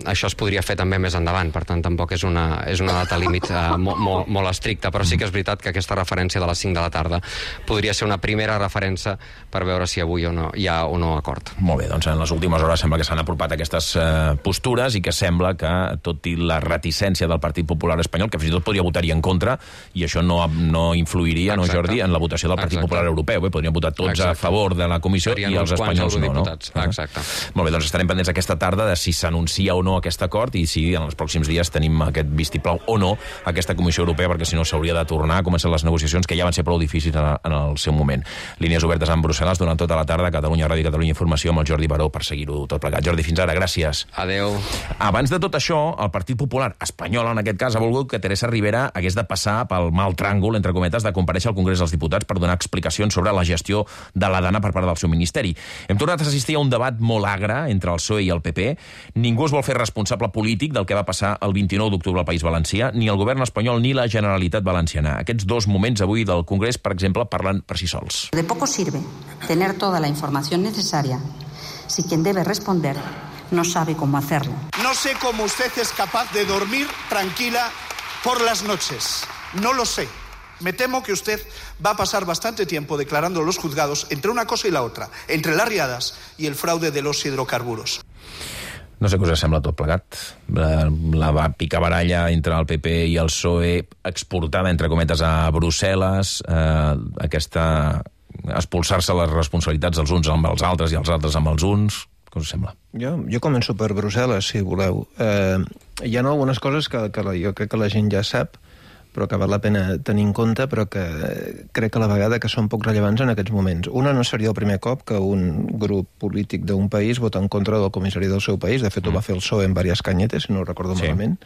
[SPEAKER 14] això es podria fer també més endavant, per tant tampoc és una data límit molt estricta, però sí que és veritat que aquesta referència de les 5 de la tarda podria ser una primera referència per veure si avui hi ha o no acord.
[SPEAKER 1] Molt bé, doncs en les últimes hores sembla que s'han apropat aquestes postures i que sembla que, tot i la reticència del Partit Popular espanyol, que fins i tot podria votar-hi en contra, i això no influiria, no, Jordi, en la votació del Partit Popular Europeu. Podrien votar tots a favor de la comissió i els espanyols no.
[SPEAKER 14] Exacte.
[SPEAKER 1] Molt bé, doncs estarem pendents aquesta tarda de si s'anuncia o no aquest acord i si en els pròxims dies tenim aquest vistiplau o no aquesta Comissió Europea, perquè si no s'hauria de tornar a començar les negociacions, que ja van ser prou difícils en el seu moment. Línies obertes en Brussel·les durant tota la tarda, Catalunya Ràdio i Catalunya Informació amb el Jordi Baró per seguir-ho tot plegat. Jordi, fins ara, gràcies.
[SPEAKER 14] Adeu.
[SPEAKER 1] Abans de tot això, el Partit Popular espanyol, en aquest cas, ha volgut que Teresa Ribera hagués de passar pel mal tràngol, entre cometes, de comparèixer al Congrés dels Diputats per donar explicacions sobre la gestió de la Dana per part del seu ministeri. Hem tornat a assistir a un debat molt agre entre el PSOE i el PP. Ningú es vol fer responsable polític del que va passar el 29 d'octubre al País Valencià, ni el govern espanyol ni la Generalitat Valenciana. Aquests dos moments avui del Congrés, per exemple, parlen per si sols.
[SPEAKER 5] De poco sirve tener toda la información necesaria si quien debe responder no sabe cómo hacerlo.
[SPEAKER 15] No sé cómo usted es capaz de dormir tranquila por las noches. No lo sé. Me temo que usted va a pasar bastante tiempo declarando en los juzgados entre una cosa y la otra, entre las riadas y el fraude de los hidrocarburos.
[SPEAKER 1] No sé què us sembla tot plegat. La picabaralla entre el PP i el PSOE exportada, entre cometes, a Brussel·les, aquesta expulsar-se les responsabilitats dels uns amb els altres i els altres amb els uns. Què us sembla?
[SPEAKER 11] Jo començo per Brussel·les, si voleu. Hi ha algunes coses que jo crec que la gent ja sap, però que val la pena tenir en compte, però que crec que a la vegada que són poc rellevants en aquests moments. Una, no seria el primer cop que un grup polític d'un país vota en contra del comissari del seu país. De fet, ho va fer el PSOE en diverses canyetes, si no ho recordo malament.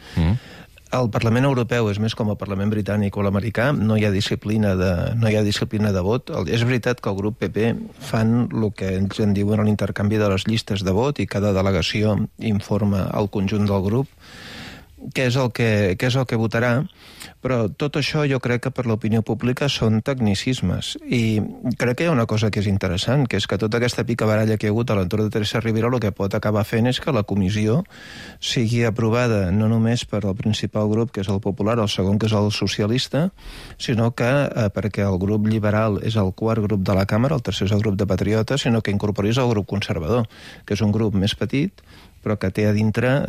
[SPEAKER 11] El Parlament Europeu és més com el Parlament britànic o l'americà, no hi ha disciplina de vot. És veritat que el grup PP fan el que ells en diuen l'intercanvi de les llistes de vot i cada delegació informa al conjunt del grup què és el que votarà, però tot això jo crec que per l'opinió pública són tecnicismes. I crec que hi ha una cosa que és interessant, que és que tota aquesta picabaralla que hi ha hagut a l'entorn de Teresa Ribera el que pot acabar fent és que la comissió sigui aprovada no només per al principal grup, que és el Popular, el segon, que és el socialista, sinó que perquè el grup liberal és el quart grup de la Càmera, el tercer és el grup de Patriotes, sinó que incorporis el grup conservador, que és un grup més petit, però que té a dintre,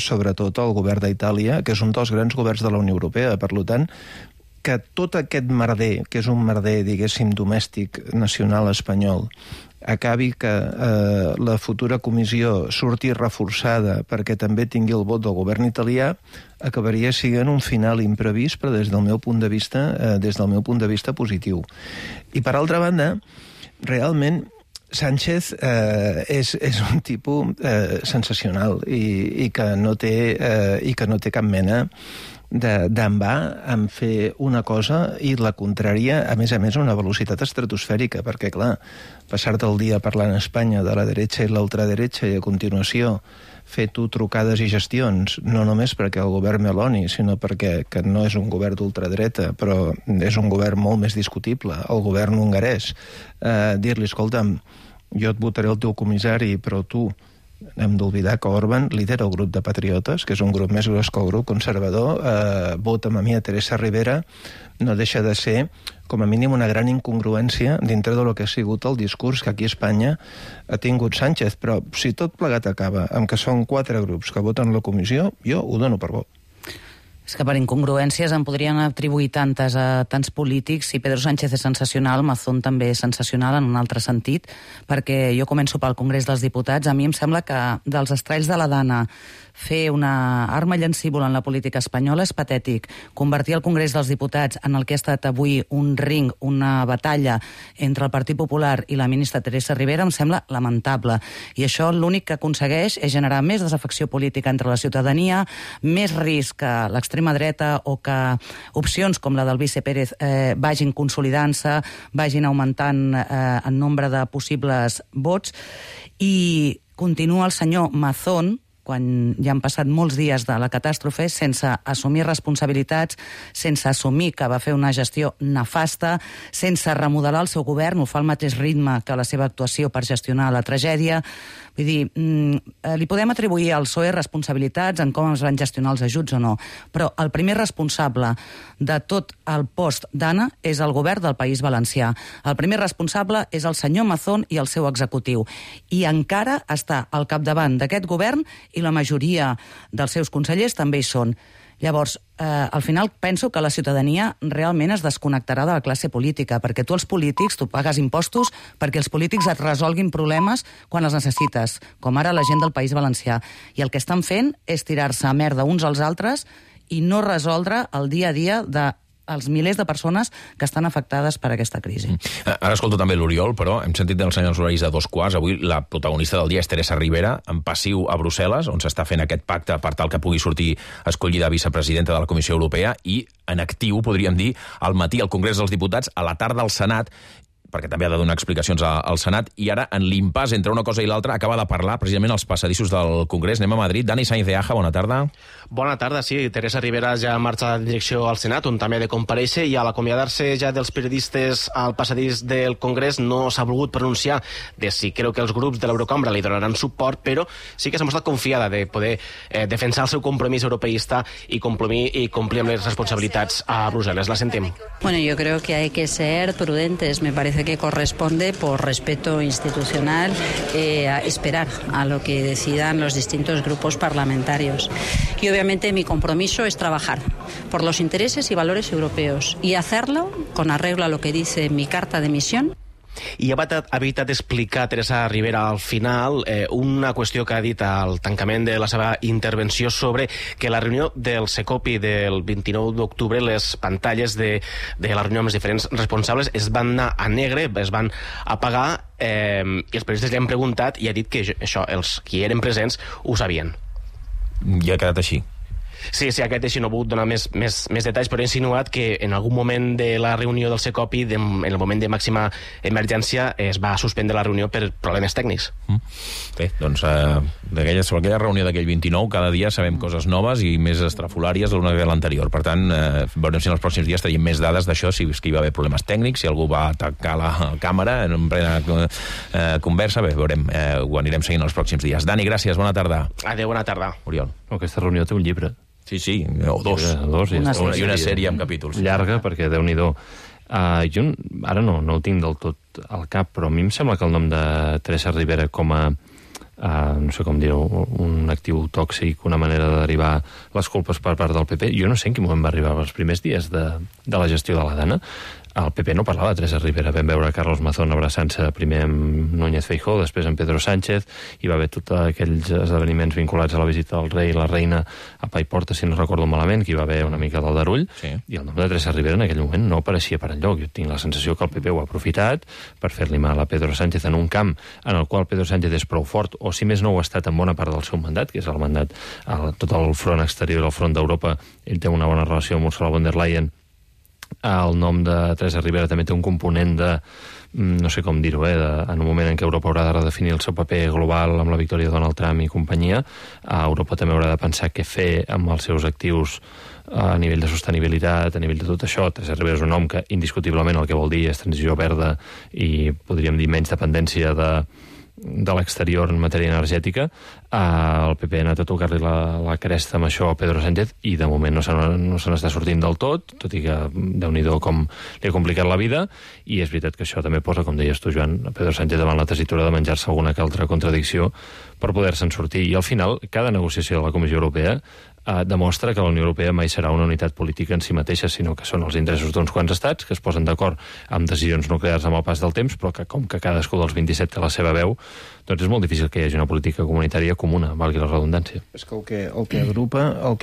[SPEAKER 11] sobretot, el govern d'Itàlia, que és un dels grans governs de la Unió Europea. Per tant, que tot aquest merder, que és un merder, diguéssim, domèstic, nacional espanyol, acabi que la futura comissió surti reforçada perquè també tingui el vot del govern italià, acabaria sent un final imprevist, però des del meu punt de vista positiu. I per altra banda, realment, Sánchez és un tipus sensacional i que no té cap mena d'envà en fer una cosa i la contrària, a més, a una velocitat estratosfèrica, perquè, clar, passar-te el dia parlant a Espanya de la dreta i l'ultraderecha i a continuació fer tu trucades i gestions, no només perquè el govern Meloni, sinó perquè que no és un govern d'ultradreta, però és un govern molt més discutible, el govern hongarès, dir-li, escolta'm, jo et votaré el teu comissari, però tu, hem d'oblidar que Orban lidera el grup de Patriotes, que és un grup més gros que el grup conservador, vota'm a mi a Teresa Ribera, no deixa de ser, com a mínim, una gran incongruència dintre del que ha sigut el discurs que aquí a Espanya ha tingut Sánchez. Però si tot plegat acaba amb que són 4 grups que voten la comissió, jo ho dono per bo.
[SPEAKER 10] És que per incongruències en podrien atribuir tantes a tants polítics. Si Pedro Sánchez és sensacional, Mazón també és sensacional en un altre sentit, perquè jo començo pel Congrés dels Diputats. A mi em sembla que dels estralls de la Dana fer una arma llancívola en la política espanyola és patètic. Convertir el Congrés dels Diputats en el que ha estat avui un ring, una batalla entre el Partit Popular i la ministra Teresa Ribera em sembla lamentable. I això l'únic que aconsegueix és generar més desafecció política entre la ciutadania, més risc que l'extrema dreta o que opcions com la del vice Pérez vagin consolidant-se, vagin augmentant en nombre de possibles vots. I continua el senyor Mazón, quan ja han passat molts dies de la catàstrofe, sense assumir responsabilitats, sense assumir que va fer una gestió nefasta, sense remodelar el seu govern, ho fa al mateix ritme que la seva actuació per gestionar la tragèdia. Vull dir, li podem atribuir al PSOE responsabilitats en com es van gestionar els ajuts o no, però el primer responsable de tot el post d'Anna és el govern del País Valencià. El primer responsable és el senyor Mazón i el seu executiu. I encara està al capdavant d'aquest govern i la majoria dels seus consellers també hi són. Llavors, al final penso que la ciutadania realment es desconnectarà de la classe política, perquè tu els polítics, tu pagues impostos perquè els polítics et resolguin problemes quan els necessites, com ara la gent del País Valencià. I el que estan fent és tirar-se a merda uns als altres i no resoldre el dia a dia dels milers de persones que estan afectades per aquesta crisi.
[SPEAKER 1] Ara escolto també l'Oriol, però hem sentit dels senyors horaris de 2:15. Avui la protagonista del dia és Teresa Ribera, en passiu a Brussel·les, on s'està fent aquest pacte per tal que pugui sortir escollida vicepresidenta de la Comissió Europea, i en actiu, podríem dir, al matí al Congrés dels Diputats, a la tarda al Senat, perquè també ha de donar explicacions al Senat, i ara, en l'impàs entre una cosa i l'altra, acaba de parlar precisament als passadissos del Congrés. Anem a Madrid. Dani Sainz de Aja, bona tarda.
[SPEAKER 4] Bona tarda, sí. Teresa Ribera ja marxa en direcció al Senat, on també ha de comparèixer, i a l'acomiadar-se ja dels periodistes al passadís del Congrés no s'ha volgut pronunciar de si creu que els grups de l'Eurocambra li donaran suport, però sí que s'ha mostrat confiada de poder defensar el seu compromís europeista i complir amb les responsabilitats a Brussel·les. La sentim.
[SPEAKER 5] Bueno, yo creo que hay que ser prudentes. Me parece que corresponde, por respeto institucional, a esperar a lo que decidan los distintos grupos parlamentarios. Y obviamente mi compromiso es trabajar por los intereses y valores europeos y hacerlo con arreglo a lo que dice mi carta de misión.
[SPEAKER 4] I ha evitat explicar Teresa Ribera al final una qüestió que ha dit al tancament de la seva intervenció sobre que la reunió del Secopi del 29 d'octubre, les pantalles de la reunió amb els diferents responsables es van anar a negre, es van apagar, i els periodistes li han preguntat i ha dit que això els qui eren presents ho sabien.
[SPEAKER 1] I ha quedat així.
[SPEAKER 4] Sí, aquest així no ha volgut donar més detalls, però ha insinuat que en algun moment de la reunió del Secopi, en el moment de màxima emergència, es va suspendre la reunió per problemes tècnics.
[SPEAKER 1] Bé, doncs sobre aquella reunió d'aquell 29 cada dia sabem coses noves i més estrafolàries l'una que l'anterior. Per tant, veurem si en els pròxims dies tenim més dades d'això, si hi va haver problemes tècnics, si algú va atacar la càmera en plena conversa. Bé, veurem, ho anirem seguint els pròxims dies. Dani, gràcies, bona tarda.
[SPEAKER 4] Adéu, bona tarda.
[SPEAKER 1] Oriol.
[SPEAKER 3] Aquesta reunió té un llibre.
[SPEAKER 1] Sí, o dos. I una sèrie amb capítols.
[SPEAKER 3] Llarga, perquè Déu-n'hi-do. Jo ara no ho tinc del tot al cap, però a mi em sembla que el nom de Teresa Ribera com a, no sé com dir-ho, un actiu tòxic, una manera de derivar les culpes per part del PP, jo no sé en quin moment va arribar els primers dies de la gestió de la Dana. El PP no parlava de Teresa Ribera. Vam veure Carlos Mazón abraçant-se primer amb Núñez Feijóo, després amb Pedro Sánchez. Hi va haver tots aquells esdeveniments vinculats a la visita del rei i la reina a Paiporta, si no recordo malament, que hi va haver una mica d'aldarull. Sí. I el nom de Teresa Ribera en aquell moment no apareixia per enlloc. Jo tinc la sensació que el PP ho ha aprofitat per fer-li mal a Pedro Sánchez en un camp en el qual Pedro Sánchez és prou fort, o si més no ho ha estat en bona part del seu mandat, que és el mandat a tot el front exterior i el front d'Europa. Ell té una bona relació amb Ursula von der Leyen. El nom de Teresa Ribera també té un component de, no sé com dir-ho, en un moment en què Europa haurà de redefinir el seu paper global amb la victòria de Donald Trump i companyia. Europa també haurà de pensar què fer amb els seus actius a nivell de sostenibilitat, a nivell de tot això. Teresa Ribera és un nom que indiscutiblement el que vol dir és transició verda i podríem dir menys dependència de l'exterior en matèria energètica. El PP ha anat a tocar-li la cresta amb això a Pedro Sánchez i de moment no se n'està sortint del tot i que Déu-n'hi-do com li ha complicat la vida, i és veritat que això també posa, com deies tu, Joan, a Pedro Sánchez davant la tessitura de menjar-se alguna que altra contradicció per poder-se'n sortir. I al final, cada negociació de la Comissió Europea demostra que la Unió Europea mai serà una unitat política en si mateixa, sinó que són els interessos d'uns quants estats que es posen d'acord amb decisions nuclears amb el pas del temps, però que com que cadascú dels 27 té la seva veu, doncs és molt difícil que hi hagi una política comunitària comuna, valgui la redundància.
[SPEAKER 11] És que el que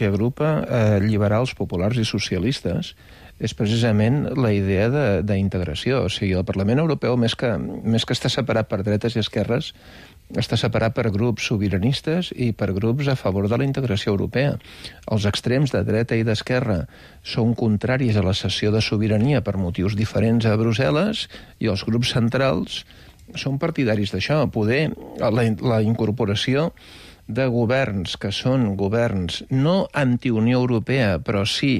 [SPEAKER 11] agrupa liberals, populars i socialistes és precisament la idea d'integració. O sigui, el Parlament Europeu, més que està separat per dretes i esquerres, està separat per grups sobiranistes i per grups a favor de la integració europea. Els extrems de dreta i d'esquerra són contraris a la cessió de sobirania per motius diferents a Brussel·les i els grups centrals són partidaris d'això. Poder la incorporació de governs que són governs no anti-Unió Europea, però sí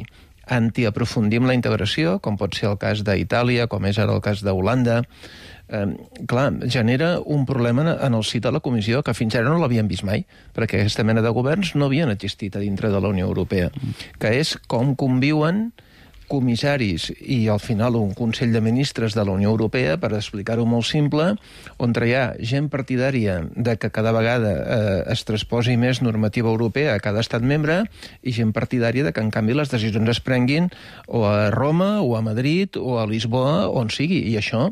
[SPEAKER 11] anti-aprofundim la integració, com pot ser el cas d'Itàlia, com és ara el cas d'Holanda, genera un problema en el si de la Comissió que fins ara no l'havien vist mai, perquè aquesta mena de governs no havien existit a dintre de la Unió Europea, que és com conviuen comissaris i al final un Consell de Ministres de la Unió Europea, per explicar-ho molt simple, on hi ha gent partidària de que cada vegada es transposi més normativa europea a cada estat membre i gent partidària de que en canvi les decisions es prenguin o a Roma o a Madrid o a Lisboa, on sigui, i això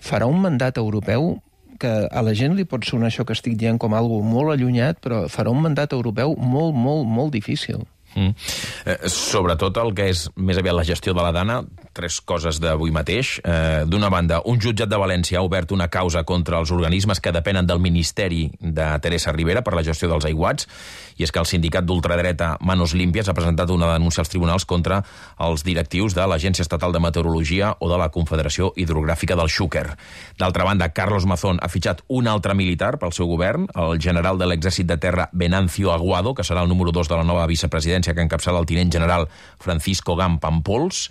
[SPEAKER 11] farà un mandat europeu que a la gent li pot sonar això que estic dient com algo molt allunyat, però farà un mandat europeu molt, molt, molt difícil.
[SPEAKER 1] Sobretot el que és més aviat la gestió de la Dana, 3 coses d'avui mateix. D'una banda, un jutjat de València ha obert una causa contra els organismes que depenen del Ministeri de Teresa Ribera per la gestió dels aiguats, i és que el sindicat d'ultradreta Manos Limpias ha presentat una denúncia als tribunals contra els directius de l'Agència Estatal de Meteorologia o de la Confederació Hidrogràfica del Xúquer. D'altra banda, Carlos Mazón ha fitxat un altre militar pel seu govern, el general de l'Exèrcit de Terra Venancio Aguado, que serà el número 2 de la nova vicepresidència que encapçala el tinent general Francisco Gam Pampols,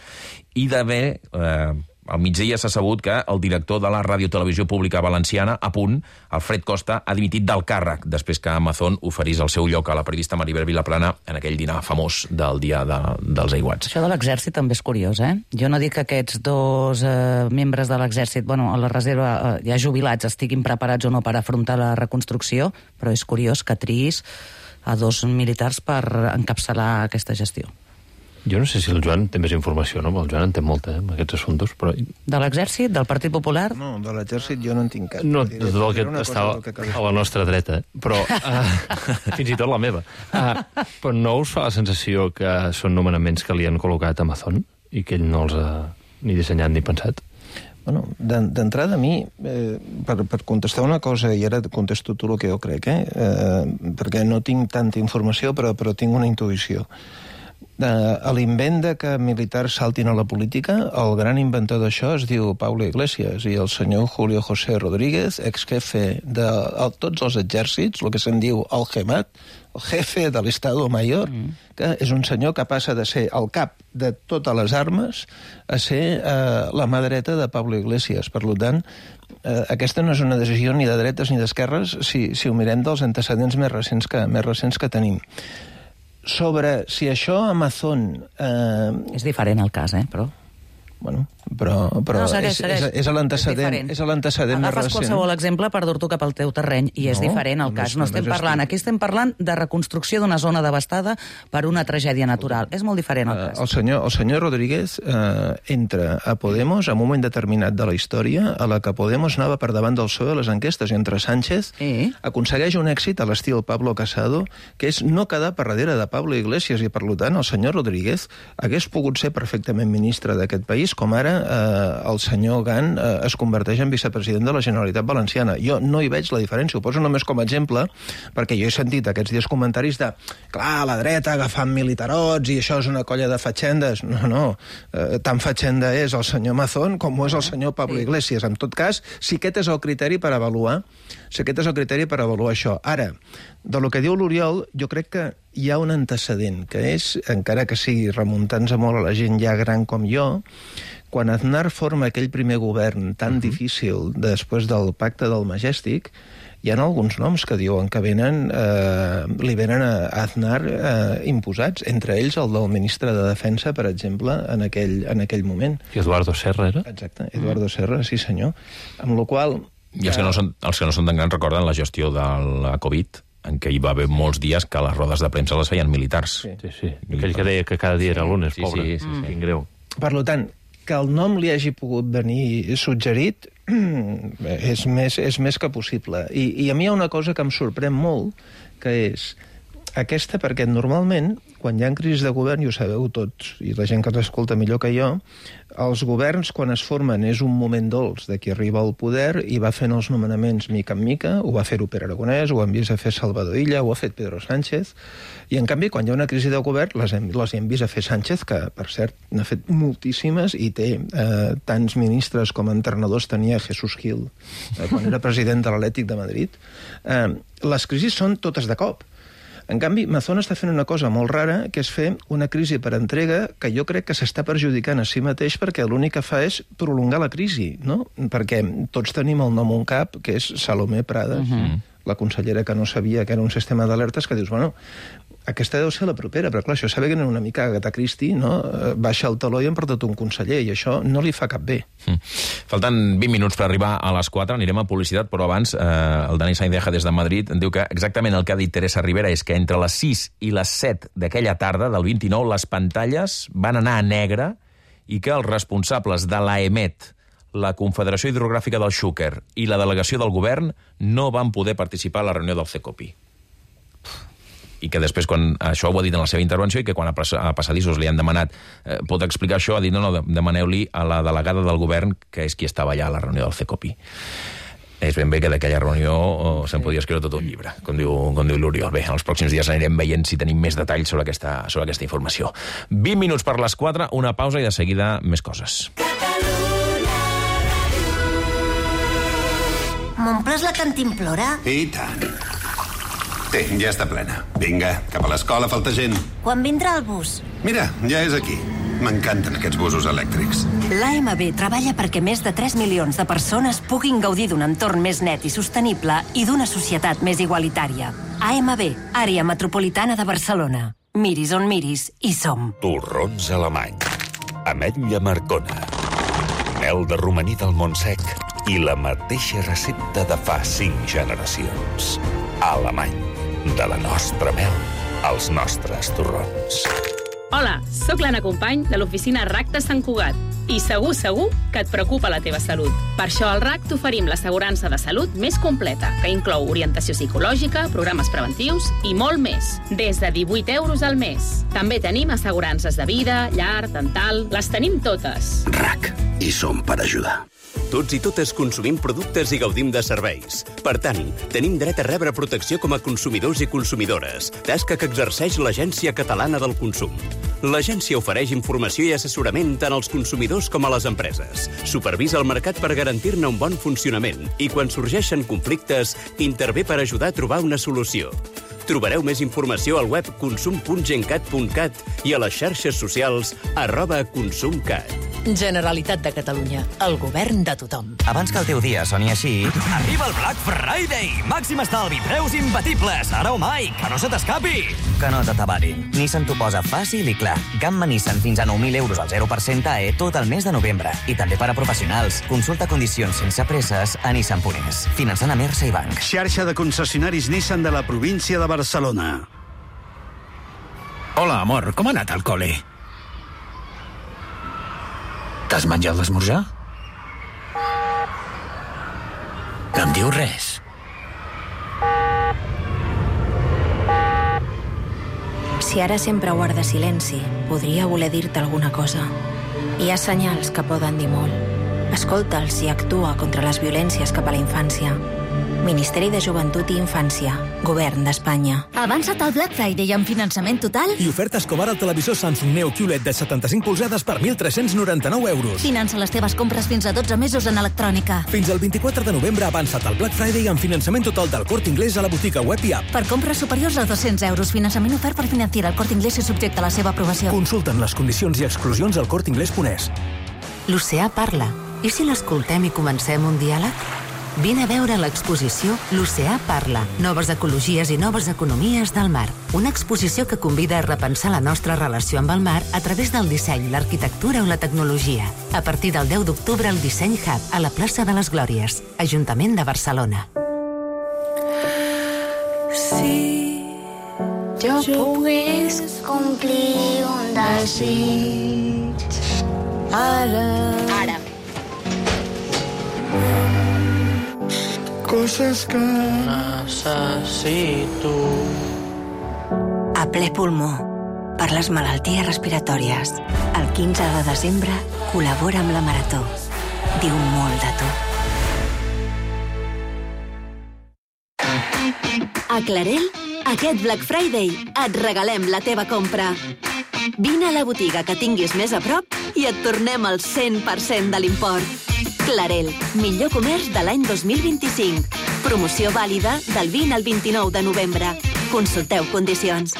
[SPEAKER 1] i d'haver, al migdia s'ha sabut que el director de la Radiotelevisió Pública Valenciana, a punt, Alfred Costa, ha dimitit del càrrec després que Amazon oferís el seu lloc a la periodista Maribel Vilaplana en aquell dinar famós del dia dels aiguats.
[SPEAKER 10] Això de l'exèrcit també és curiós, eh? Jo no dic que aquests 2 membres de l'exèrcit, a la reserva ja jubilats, estiguin preparats o no per afrontar la reconstrucció, però és curiós que triïs a 2 militars per encapçalar aquesta gestió.
[SPEAKER 3] Jo no sé si el Joan té més informació, no? El Joan en té molta, amb aquests assumptes, però...
[SPEAKER 10] De l'exèrcit? Del Partit Popular?
[SPEAKER 11] No, de l'exèrcit jo no en tinc cap.
[SPEAKER 3] No, de tot el que està a la nostra dreta, però fins i tot la meva. Però no us fa la sensació que són nomenaments que li han col·locat a Amazon i que ell no els ha ni dissenyat ni pensat?
[SPEAKER 11] Bueno, d'entrada a mi, per contestar una cosa, i ara contesto tu el que jo crec, perquè no tinc tanta informació, però tinc una intuïció. A l'invent de que militars saltin a la política, el gran inventor d'això es diu Pablo Iglesias, i el senyor Julio José Rodríguez, exjefe de tots els exèrcits, el que se'n diu el GEMAT, el jefe de l'Estado Mayor, que és un senyor que passa de ser el cap de totes les armes a ser la mà dreta de Pablo Iglesias. Per tant, aquesta no és una decisió ni de dretes ni d'esquerres si ho mirem dels antecedents més recents que tenim. Sobre si això Amazon...
[SPEAKER 10] És diferent el cas, però...
[SPEAKER 11] Bueno, però
[SPEAKER 10] no, segueix.
[SPEAKER 11] És l'antecedent més recent.
[SPEAKER 10] Agafes qualsevol exemple per dur-t'ho cap al teu terreny, i és diferent el cas. Aquí estem parlant de reconstrucció d'una zona devastada per una tragèdia natural. És molt diferent el cas.
[SPEAKER 11] El senyor Rodríguez entra a Podemos en un moment determinat de la història a la que Podemos anava per davant del PSOE a les enquestes, i entre Sánchez aconsegueix un èxit a l'estil Pablo Casado, que és no quedar per darrere de Pablo Iglesias, i per tant el senyor Rodríguez hagués pogut ser perfectament ministre d'aquest país, com ara el senyor Gant es converteix en vicepresident de la Generalitat Valenciana. Jo no hi veig la diferència, ho poso només com a exemple, perquè jo he sentit aquests dies comentaris de, clar, la dreta agafant militarots i això és una colla de fatxendes. No, tan fatxenda és el senyor Mazón com ho és el senyor Pablo Iglesias. En tot cas, si aquest és el criteri per avaluar, això. Ara, de lo que diu l'Oriol, jo crec que hi ha un antecedent, que és, encara que sigui remuntant-se molt a la gent ja gran com jo, quan Aznar forma aquell primer govern tan difícil després del pacte del Majestic, hi ha alguns noms que diuen que li venen a Aznar imposats, entre ells el del ministre de Defensa, per exemple, en aquell moment.
[SPEAKER 3] I Eduardo Serra era?
[SPEAKER 11] Exacte, Eduardo Serra, sí senyor. Amb la qual...
[SPEAKER 1] I els que no són tan grans recorden la gestió de la Covid, en què hi va haver molts dies que les rodes de premsa les feien militars.
[SPEAKER 16] Sí. Aquell que deia que cada dia era lunes, pobre.
[SPEAKER 1] Sí.
[SPEAKER 16] Quin greu.
[SPEAKER 11] Per tant, que el nom li hagi pogut venir suggerit és més que possible. I a mi hi ha una cosa que em sorprèn molt, que és aquesta, perquè normalment, quan hi ha crisis de govern, i ho sabeu tots, i la gent que t'escolta millor que jo, els governs, quan es formen, és un moment dolç de qui arriba al poder i va fent els nomenaments mica en mica, ho va fer-ho Pere Aragonès, ho han vist a fer Salvador Illa, ho ha fet Pedro Sánchez, i en canvi, quan hi ha una crisi de govern, les hem vist a fer Sánchez, que, per cert, n'ha fet moltíssimes, i té tants ministres com a entrenadors tenia Jesús Gil, quan era president de l'Atlètic de Madrid. Les crisis són totes de cop. En canvi, Mazón està fent una cosa molt rara, que és fer una crisi per entrega que jo crec que s'està perjudicant a si mateix perquè l'únic que fa és prolongar la crisi, no? Perquè tots tenim el nom un cap, que és Salomé Prades, la consellera que no sabia que era un sistema d'alertes, que dius, bueno, aquesta deu ser la propera, però clar, això sabe que no una mica Agatha Christie, no? Baixa el taló i han portat un conseller, i això no li fa cap bé.
[SPEAKER 1] Falten 20 minuts per arribar a les 4, anirem a publicitat, però abans el Dani Saindeja des de Madrid diu que exactament el que ha dit Teresa Rivera és que entre les 6 i les 7 d'aquella tarda, del 29, les pantalles van anar a negre i que els responsables de l'AEMET, la Confederació Hidrogràfica del Xúquer i la delegació del govern no van poder participar a la reunió del CECOPI. I que després, quan això ho ha dit en la seva intervenció, i que quan a passadissos li han demanat pot explicar això, ha dit no, demaneu-li a la delegada del govern, que és qui estava allà a la reunió del CECOPI. És ben bé que d'aquella reunió se'n podia escriure tot un llibre, com diu l'Oriol. Bé, els pròxims dies anirem veient si tenim més detalls sobre aquesta informació. 20 minuts per les 4, una pausa i de seguida més coses.
[SPEAKER 17] M'omples la cantimplora?
[SPEAKER 18] I tant. Té, ja està plena. Vinga, cap a l'escola, falta gent.
[SPEAKER 17] Quan vindrà el bus?
[SPEAKER 18] Mira, ja és aquí. M'encanten aquests busos elèctrics.
[SPEAKER 9] L'AMB treballa perquè més de 3 milions de persones puguin gaudir d'un entorn més net i sostenible i d'una societat més igualitària. AMB, Àrea Metropolitana de Barcelona. Miris on miris, hi som.
[SPEAKER 19] Torrons alemany. Ametlla Marcona. Mel de romaní del Montsec. I la mateixa recepta de fa 5 generacions. Alemany. De la nostra mel als nostres torrons.
[SPEAKER 20] Hola, sóc l'Anna Company de l'oficina RAC de Sant Cugat i segur que et preocupa la teva salut. Per això al RAC t'oferim l'assegurança de salut més completa, que inclou orientació psicològica, programes preventius i molt més, des de 18 euros al mes. També tenim assegurances de vida, llar, dental, les tenim totes.
[SPEAKER 21] RAC, hi som per ajudar. Tots i totes consumim productes i gaudim de serveis. Per tant, tenim dret a rebre protecció com a consumidors i consumidores, tasca que exerceix l'Agència Catalana del Consum. L'agència ofereix informació i assessorament tant als consumidors com a les empreses. Supervisa el mercat per garantir-ne un bon funcionament i, quan sorgeixen conflictes, intervé per ajudar a trobar una solució. Trobareu més informació al web consum.gencat.cat i a les xarxes socials @consumcat.
[SPEAKER 22] Generalitat de Catalunya, el govern de tothom.
[SPEAKER 23] Abans que el teu dia soni així...
[SPEAKER 24] Arriba el Black Friday! Màxim estalvi, preus imbatibles, ara o mai, que no se t'escapi!
[SPEAKER 23] Que no t'atabarin. Nissan t'ho posa fàcil i clar. Gamma Nissan fins a 9.000 euros al 0% AE tot el mes de novembre. I també per a professionals. Consulta condicions sense presses a Nissan.es. Finançant a Mersa i Banc.
[SPEAKER 25] Xarxa de concessionaris Nissan de la província de Barcelona.
[SPEAKER 26] Hola, amor, com ha anat al col·le? T'has menjat l'esmorzar? No em dius res.
[SPEAKER 27] Si ara sempre guarda silenci, podria voler dir-te alguna cosa. Hi ha senyals que poden dir molt. Escolta'ls i actua contra les violències cap a la infància. Ministeri de Joventut i Infància. Govern d'Espanya.
[SPEAKER 28] Avança't al Black Friday amb finançament total
[SPEAKER 29] i oferta Escobar al televisor Samsung Neo QLED de 75 polzades per 1.399 euros.
[SPEAKER 28] Finança les teves compres fins a 12 mesos en electrònica.
[SPEAKER 29] Fins al 24 de novembre avança't al Black Friday amb finançament total del Corte Inglés a la botiga web i app.
[SPEAKER 28] Per compres superiors a 200 euros, finançament ofert per Financiera. El Corte Inglés és subjecte a la seva aprovació.
[SPEAKER 29] Consulten les condicions i exclusions al corteinglés.es.
[SPEAKER 30] L'oceà parla. I si l'escoltem i comencem un diàleg? Vine a veure l'exposició L'Oceà parla. Noves ecologies i noves economies del mar. Una exposició que convida a repensar la nostra relació amb el mar a través del disseny, l'arquitectura o la tecnologia. A partir del 10 d'octubre al Disseny Hub, a la plaça de les Glòries, Ajuntament de Barcelona.
[SPEAKER 2] Si jo pogués complir un desig ara. Coses que necessito.
[SPEAKER 27] A ple pulmó, per les malalties respiratòries. El 15 de desembre col·labora amb la Marató. Diu molt de tu.
[SPEAKER 4] A Clarel, aquest Black Friday et regalem la teva compra. Vine a la botiga que tinguis més a prop i et tornem el 100% de l'import. Clarel, millor comerç de l'any 2025. Promoció vàlida del 20 al 29 de novembre. Consulteu condicions.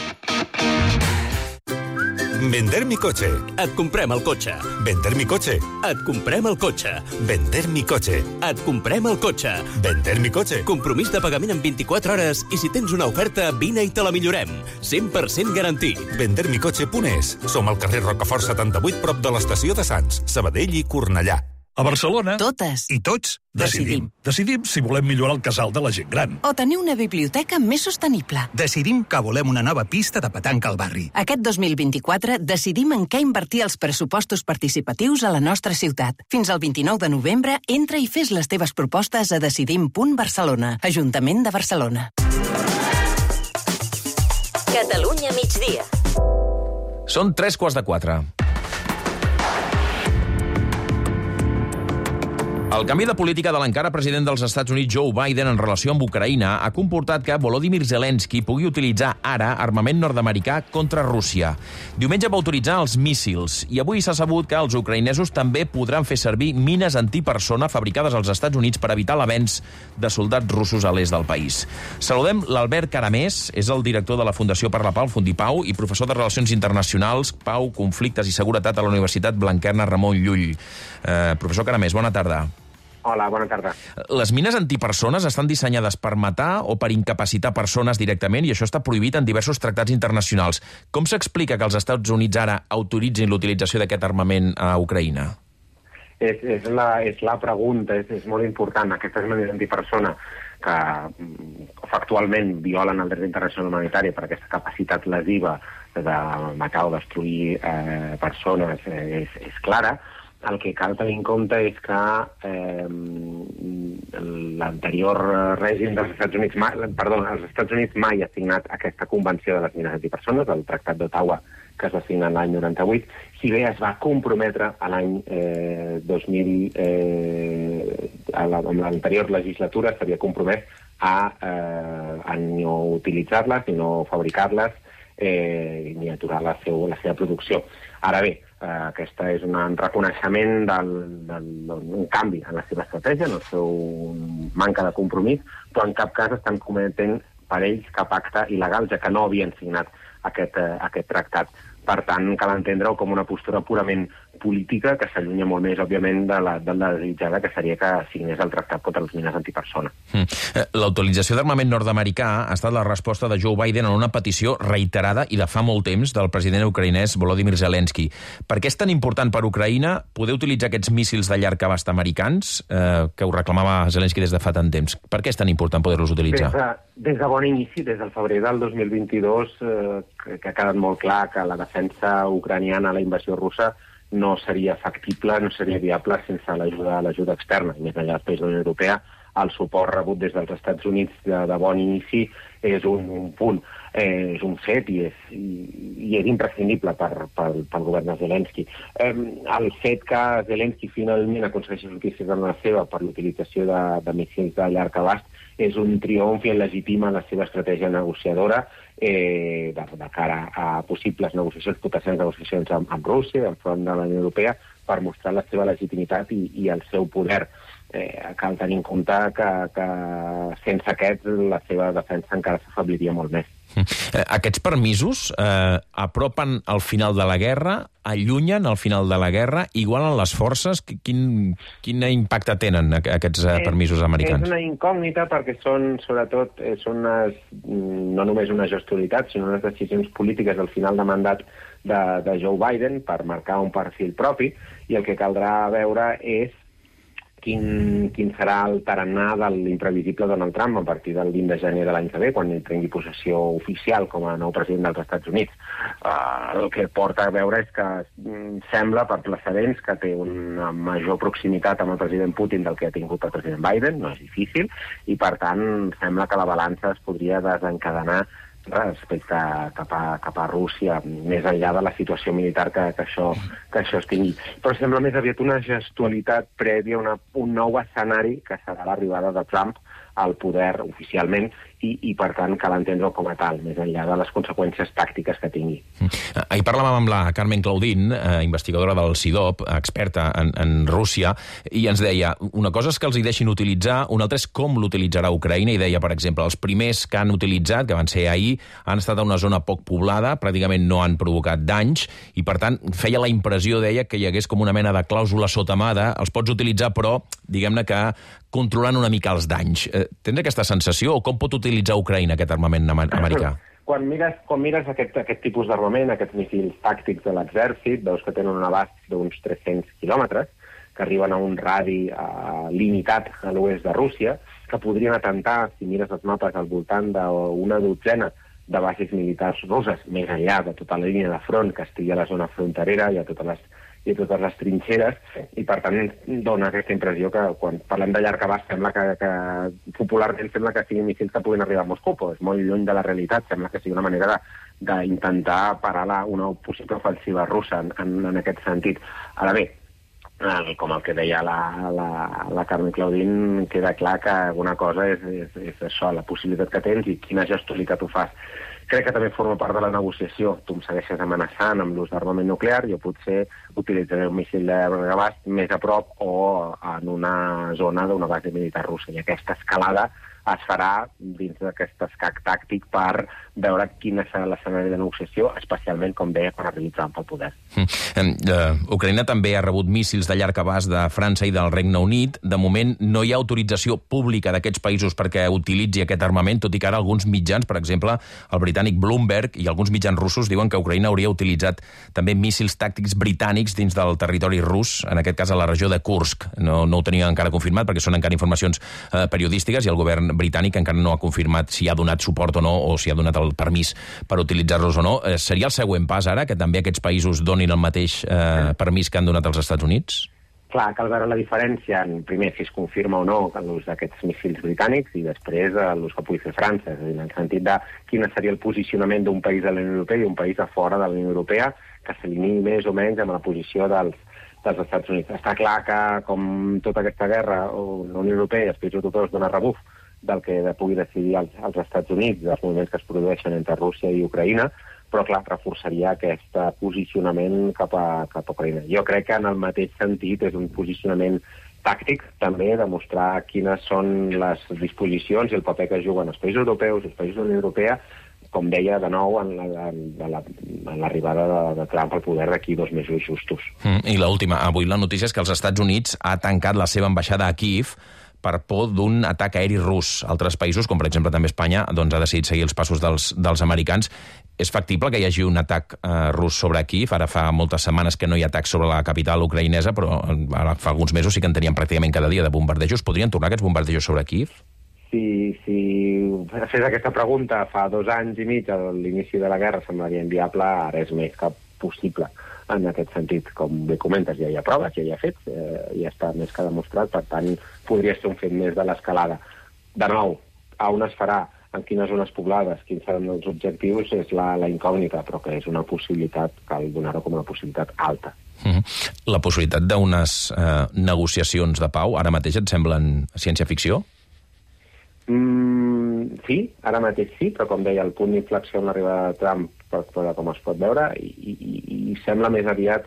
[SPEAKER 19] Vender mi coche.
[SPEAKER 21] Et comprem el cotxe.
[SPEAKER 19] Vender mi coche.
[SPEAKER 21] Et comprem el cotxe.
[SPEAKER 19] Vender mi coche.
[SPEAKER 21] Et comprem el cotxe.
[SPEAKER 19] Vender mi coche.
[SPEAKER 21] Compromís de pagament en 24 hores i si tens una oferta, vine i te la millorem. 100% garantit.
[SPEAKER 19] Vendermicoche.es. Som al carrer Rocafort 78, prop de l'estació de Sants, Sabadell i Cornellà.
[SPEAKER 5] A Barcelona,
[SPEAKER 27] totes
[SPEAKER 5] i tots decidim. Decidim si volem millorar el casal de la gent gran.
[SPEAKER 27] O tenir una biblioteca més sostenible.
[SPEAKER 26] Decidim que volem una nova pista de petanca al barri.
[SPEAKER 27] Aquest 2024 decidim en què invertir els pressupostos participatius a la nostra ciutat. Fins al 29 de novembre, entra i fes les teves propostes a decidim.barcelona. Ajuntament de Barcelona.
[SPEAKER 4] Catalunya migdia.
[SPEAKER 1] Són 3:15. El canvi de política de l'encara president dels Estats Units, Joe Biden, en relació amb Ucraïna, ha comportat que Volodymyr Zelensky pugui utilitzar ara armament nord-americà contra Rússia. Diumenge va autoritzar els míssils i avui s'ha sabut que els ucraïnesos també podran fer servir mines antipersona fabricades als Estats Units per evitar l'avenç de soldats russos a l'est del país. Saludem l'Albert Caramés, és el director de la Fundació per la Pau, Fundipau, i professor de Relacions Internacionals, Pau, Conflictes i Seguretat a la Universitat Blanquerna Ramon Llull. Professor Caramés, bona tarda.
[SPEAKER 6] Hola, bona tarda.
[SPEAKER 1] Les mines antipersones estan dissenyades per matar o per incapacitar persones directament i això està prohibit en diversos tractats internacionals. Com s'explica que els Estats Units ara autoritzin l'utilització d'aquest armament a Ucraïna?
[SPEAKER 6] És la pregunta, és molt important. Aquestes mines antipersona que factualment violen el dret internacional humanitari per aquesta capacitat lesiva de matar o destruir persones és clara. El que cal tenir en compte és que l'anterior règim dels Estats Units els Estats Units mai ha signat aquesta convenció de les mines antipersones, el Tractat d'Ottawa, que es va signar l'any 98, si bé es va comprometre a l'any 2000, amb l'anterior legislatura s'havia compromès a no utilitzar-les, ni no fabricar-les, ni aturar la seva producció. Ara bé, aquesta és un reconeixement d'un canvi en la seva estratègia, en el seu manca de compromís, però en cap cas estan cometent per ells cap acte il·legal, ja que no havien signat aquest tractat. Per tant, cal entendre-ho com una postura purament política que s'allunya molt més, òbviament, de la desitjada, que seria que signés el tractat contra les mines antipersona.
[SPEAKER 1] La utilització d'armament nord-americà ha estat la resposta de Joe Biden a una petició reiterada i de fa molt temps del president ucraïnès Volodymyr Zelensky. Per què és tan important per Ucraïna poder utilitzar aquests míssils de llarg abast americans, que ho reclamava Zelensky des de fa tant temps? Per què és tan important poder-los utilitzar?
[SPEAKER 6] Des de bon inici, des del febrer del 2022, que ha quedat molt clar que la defensa ucraniana a la invasió russa no seria factible, no seria viable sense l'ajuda externa. I més enllà dels països de la Unió Europea, el suport rebut des dels Estats Units de bon inici és un punt, és un fet i és imprescindible pel govern de Zelensky. El fet que Zelensky finalment aconsegueixi sortir-se de la seva per l'utilització de míssils de llarg abast és un triomf i legitima la seva estratègia negociadora de cara a possibles negociacions, potencials negociacions amb Rússia, enfront de la Unió Europea, per mostrar la seva legitimitat i el seu poder. Cal tenir en compte que sense aquests la seva defensa encara s'afebliria molt més.
[SPEAKER 1] Aquests permisos apropen al final de la guerra, allunyen al final de la guerra, igualen les forces? Quin impacte tenen aquests permisos americans?
[SPEAKER 6] És una incògnita perquè són, sobretot, no només una gestualitat, sinó unes decisions polítiques al final de mandat de Joe Biden per marcar un perfil propi, i el que caldrà veure és quin serà el tarannà de l'imprevisible Donald Trump a partir del 20 de gener de l'any que ve, quan ell prengui possessió oficial com a nou president dels Estats Units. El que porta a veure és que sembla, per precedents, que té una major proximitat amb el president Putin del que ha tingut el president Biden, no és difícil, i per tant sembla que la balança es podria desencadenar respecte cap a Rússia, més enllà de la situació militar que això es tingui. Però sembla més aviat una gestualitat prèvia, un nou escenari que serà l'arribada de Trump al poder oficialment i per tant cal entendre-ho com a tal, més enllà de les conseqüències tàctiques que tingui.
[SPEAKER 1] Ahir parlàvem amb la Carmen Claudín, investigadora del CIDOB, experta en Rússia, i ens deia, una cosa és que els hi deixin utilitzar, una altra és com l'utilitzarà Ucraïna, i deia, per exemple, els primers que han utilitzat, que van ser ahir, han estat a una zona poc poblada, pràcticament no han provocat danys, i per tant feia la impressió, deia, que hi hagués com una mena de clàusula sotamada, els pots utilitzar, però, diguem-ne que controlant una mica els danys. Tens aquesta sensació, o com pot utilitzar Ucraïna aquest armament americà?
[SPEAKER 6] Quan mires aquest tipus d'armament, aquests missils tàctics de l'exèrcit, veus que tenen un abast d'uns 300 quilòmetres, que arriben a un radi limitat a l'oest de Rússia, que podrien atentar, si mires els mapes, al voltant d'una dotzena de bases militars russes, més enllà de tota la línia de front que estigui a la zona fronterera i a totes les trinxeres, i per tant dona aquesta impressió que quan parlem de llarg abast sembla que popularment sembla que siguin missils que puguin arribar a Moscou, però és molt lluny de la realitat, sembla que sigui una manera d'intentar parar una possible ofensiva russa en aquest sentit. Ara bé, com el que deia la Carmen Claudín, queda clar que alguna cosa és això, la possibilitat que tens i quina gestualitat ho fas. Crec que també forma part de la negociació. Tu em segueixes amenaçant amb l'ús d'armament nuclear, jo potser utilitzaré un míssil de llarg abast més a prop o en una zona d'una base militar russa. I aquesta escalada es farà dins d'aquest escac tàctic per veure quin serà l'escenari de negociació, especialment, com deia, quan arribi Trump al poder.
[SPEAKER 1] Ucraïna també ha rebut míssils de llarg abast de França i del Regne Unit. De moment no hi ha autorització pública d'aquests països perquè utilitzi aquest armament, tot i que ara alguns mitjans, per exemple, el britànic Bloomberg i alguns mitjans russos diuen que Ucraïna hauria utilitzat també míssils tàctics britànics dins del territori rus, en aquest cas a la regió de Kursk. No ho tenia encara confirmat perquè són encara informacions periodístiques i el govern britànic encara no ha confirmat si ha donat suport o no, o si ha donat el permís per utilitzar-los o no. Seria el següent pas ara, que també aquests països donin el mateix permís que han donat als Estats Units?
[SPEAKER 6] Clar, cal veure la diferència, primer, si es confirma o no l'ús d'aquests míssils britànics i després l'ús que pugui fer França, és a dir, en el sentit de quin seria el posicionament d'un país de la Unió Europea i un país a fora de la Unió Europea que s'alinei més o menys amb la posició dels Estats Units. Està clar que, com tota aquesta guerra, la Unió Europea i els països europeus donen rebuf del que pugui decidir els Estats Units, dels moviments que es produeixen entre Rússia i Ucraïna, però, clar, reforçaria aquest posicionament cap a Ucraïna. Jo crec que en el mateix sentit és un posicionament tàctic, també, demostrar quines són les disposicions i el paper que juguen els països europeus i els països de la Unió Europea, com deia, de nou, en l'arribada de Trump al poder d'aquí 2 mesos justos.
[SPEAKER 1] I l'última, avui la notícia és que els Estats Units ha tancat la seva ambaixada a Kíev per por d'un atac aeri rus. Altres països, com per exemple també Espanya, doncs ha decidit seguir els passos dels americans. És factible que hi hagi un atac rus sobre Kíev? Ara fa moltes setmanes que no hi ha atacs sobre la capital ucraïnesa, però ara fa alguns mesos sí que en teníem pràcticament cada dia de bombardejos. Podrien tornar aquests bombardejos sobre Kíev?
[SPEAKER 6] Si fes aquesta pregunta fa 2 anys i mig, a l'inici de la guerra, semblaria inviable, ara és més que possible. En aquest sentit, com bé comentes, ja hi ha proves, ja hi ha fets, ja està més que demostrat, per tant, podria ser un fet més de l'escalada. De nou, a on es farà, en quines zones poblades, quins seran els objectius, és la incògnita, però que és una possibilitat, cal donar-ho com una possibilitat alta.
[SPEAKER 1] La possibilitat d'unes negociacions de pau, ara mateix et semblen ciència-ficció?
[SPEAKER 6] Sí, ara mateix sí, però com deia, el punt d'inflexió en l'arribada de Trump, com es pot veure, i sembla més aviat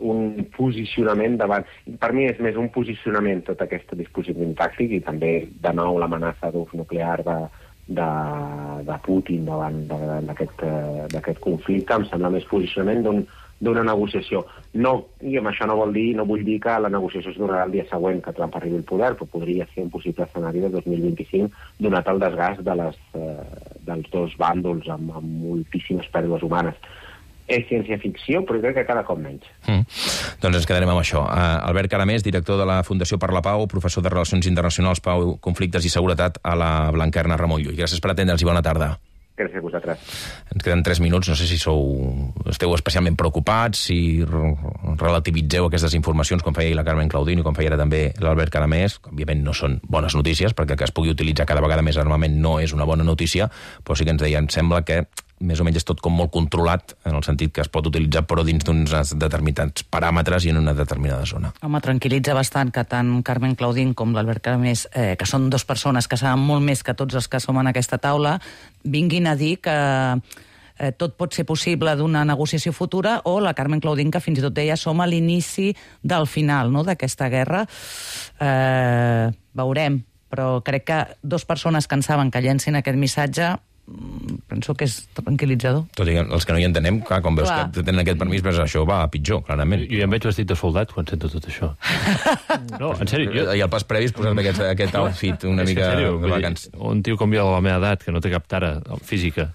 [SPEAKER 6] un posicionament davant... Per mi és més un posicionament tot aquest dispositiu tàctic i també, de nou, l'amenaça d'ús nuclear de Putin davant d'aquest conflicte. Em sembla més posicionament d'una negociació. I amb això no vull dir que la negociació es donarà el dia següent que Trump arribi al poder, però podria ser un possible escenari de 2025, donat el desgast dels dos bàndols amb moltíssimes pèrdues humanes. És ciència-ficció, però crec que cada cop menys.
[SPEAKER 1] Doncs ens quedarem amb això. Albert Caramés, director de la Fundació per la Pau, professor de Relacions Internacionals, Pau, Conflictes i Seguretat a la Blanquerna Ramon Llull. Gràcies per atendre'ns i bona tarda.
[SPEAKER 6] Gràcies a vosaltres.
[SPEAKER 1] Ens queden 3 minuts, no sé si esteu especialment preocupats, si relativitzeu aquestes informacions, com feia la Carmen Claudino, com feia ara també l'Albert Caramés, que òbviament no són bones notícies, perquè que es pugui utilitzar cada vegada més armament no és una bona notícia, però sí que ens deien, sembla que més o menys és tot com molt controlat, en el sentit que es pot utilitzar però dins d'uns determinats paràmetres i en una determinada zona.
[SPEAKER 3] Home, tranquil·litza bastant que tant Carmen Claudín com l'Albert Caramés, que són dues persones que saben molt més que tots els que som en aquesta taula, vinguin a dir que tot pot ser possible d'una negociació futura, o la Carmen Claudín, que fins i tot deia som a l'inici del final, no?, d'aquesta guerra. Veurem, però crec que dues persones que en saben que llencin aquest missatge penso que és tranquil·litzador.
[SPEAKER 1] Tot i que els que no hi entenem, clar, com veus que tenen aquest permís, però això va a pitjor, clarament.
[SPEAKER 7] Jo ja em veig vestit de soldat quan sento tot això. No, en sèrio.
[SPEAKER 1] I al pas previs posar-me aquest outfit una mica de vacants.
[SPEAKER 7] Un tio com jo de la meva edat, que no té cap tara física,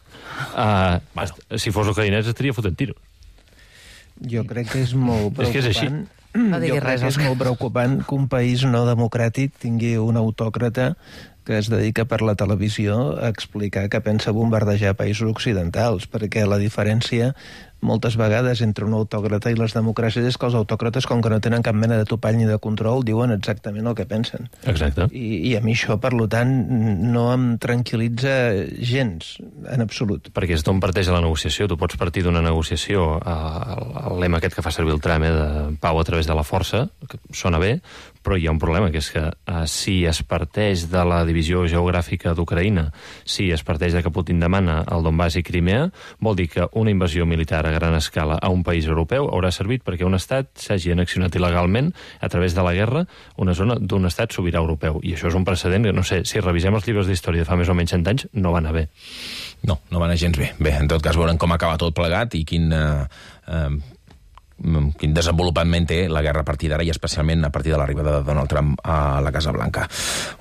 [SPEAKER 7] si fos ucraïnès estaria fotent tiros.
[SPEAKER 8] Jo crec que és molt preocupant.
[SPEAKER 7] És que és així.
[SPEAKER 8] Jo crec que és molt preocupant que un país no democràtic tingui un autòcrata que es dedica per la televisió a explicar que pensa bombardejar països occidentals, perquè la diferència moltes vegades entre un autòcrata i les democràcies és que els autòcrates, com que no tenen cap mena de topall ni de control, diuen exactament el que pensen.
[SPEAKER 7] Exacte.
[SPEAKER 8] I a mi això, per tant, no em tranquil·litza gens, en absolut.
[SPEAKER 7] Perquè és d'on parteix la negociació. Tu pots partir d'una negociació, el lema aquest que fa servir el Trump, de pau a través de la força, que sona bé, però hi ha un problema, que és que si es parteix de la divisió geogràfica d'Ucraïna, si es parteix de que Putin demana el Donbass i Crimea, vol dir que una invasió militar a gran escala a un país europeu haurà servit perquè un estat s'hagi annexionat il·legalment a través de la guerra una zona d'un estat sobirà europeu. I això és un precedent que, no sé, si revisem els llibres d'història de fa més o menys 100 anys, no va anar bé.
[SPEAKER 1] No va anar gens bé. Bé, en tot cas veurem com acaba tot plegat i quin desenvolupament té la guerra a partir d'ara i especialment a partir de l'arribada de Donald Trump a la Casa Blanca.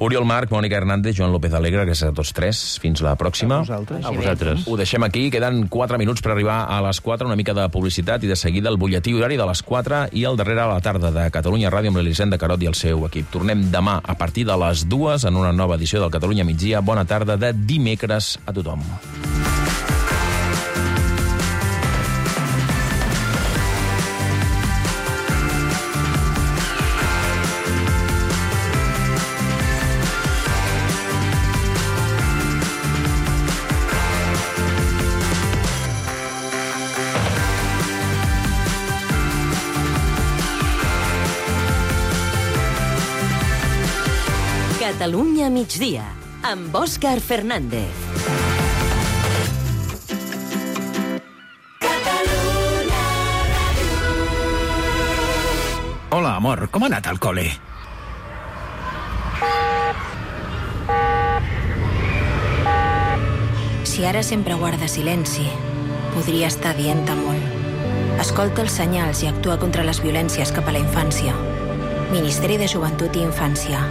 [SPEAKER 1] Oriol Marc, Mònica Hernández, Joan López Alegre, gràcies a tots tres. Fins la pròxima.
[SPEAKER 8] A vosaltres.
[SPEAKER 1] Ho deixem aquí. Queden 4 minuts per arribar a les 4, una mica de publicitat i de seguida el butlletí horari de les 4 i el darrere a la tarda de Catalunya Ràdio amb l'Elisenda Carot i el seu equip. Tornem demà a partir de les 2 en una nova edició del Catalunya Migdia. Bona tarda de dimecres a tothom.
[SPEAKER 9] Catalunya migdia, amb Òscar Fernández.
[SPEAKER 10] Hola, amor, com ha anat al col·le?
[SPEAKER 27] Si ara sempre guarda silenci, podria estar dient-te molt. Escolta els senyals i actua contra les violències cap a la infància. Ministeri de Joventut i Infància.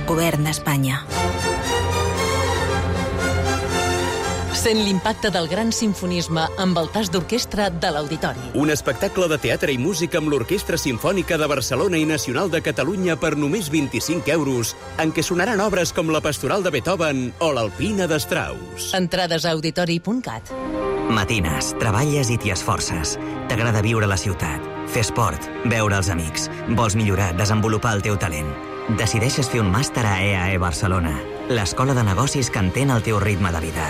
[SPEAKER 27] Govern d'Espanya.
[SPEAKER 22] Sent l'impacte del gran simfonisme amb el tas d'orquestra de l'Auditori.
[SPEAKER 21] Un espectacle de teatre i música amb l'Orquestra Simfònica de Barcelona i Nacional de Catalunya per només 25 euros, en què sonaran obres com la Pastoral de Beethoven o l'Alpina de Strauss.
[SPEAKER 22] Entrades a auditori.cat.
[SPEAKER 23] Matines, treballes i t'hi esforces. T'agrada viure a la ciutat, fer esport, veure els amics. Vols millorar, desenvolupar el teu talent. Decideixes fer un màster a EAE Barcelona, l'escola de negocis que entén el teu ritme de vida.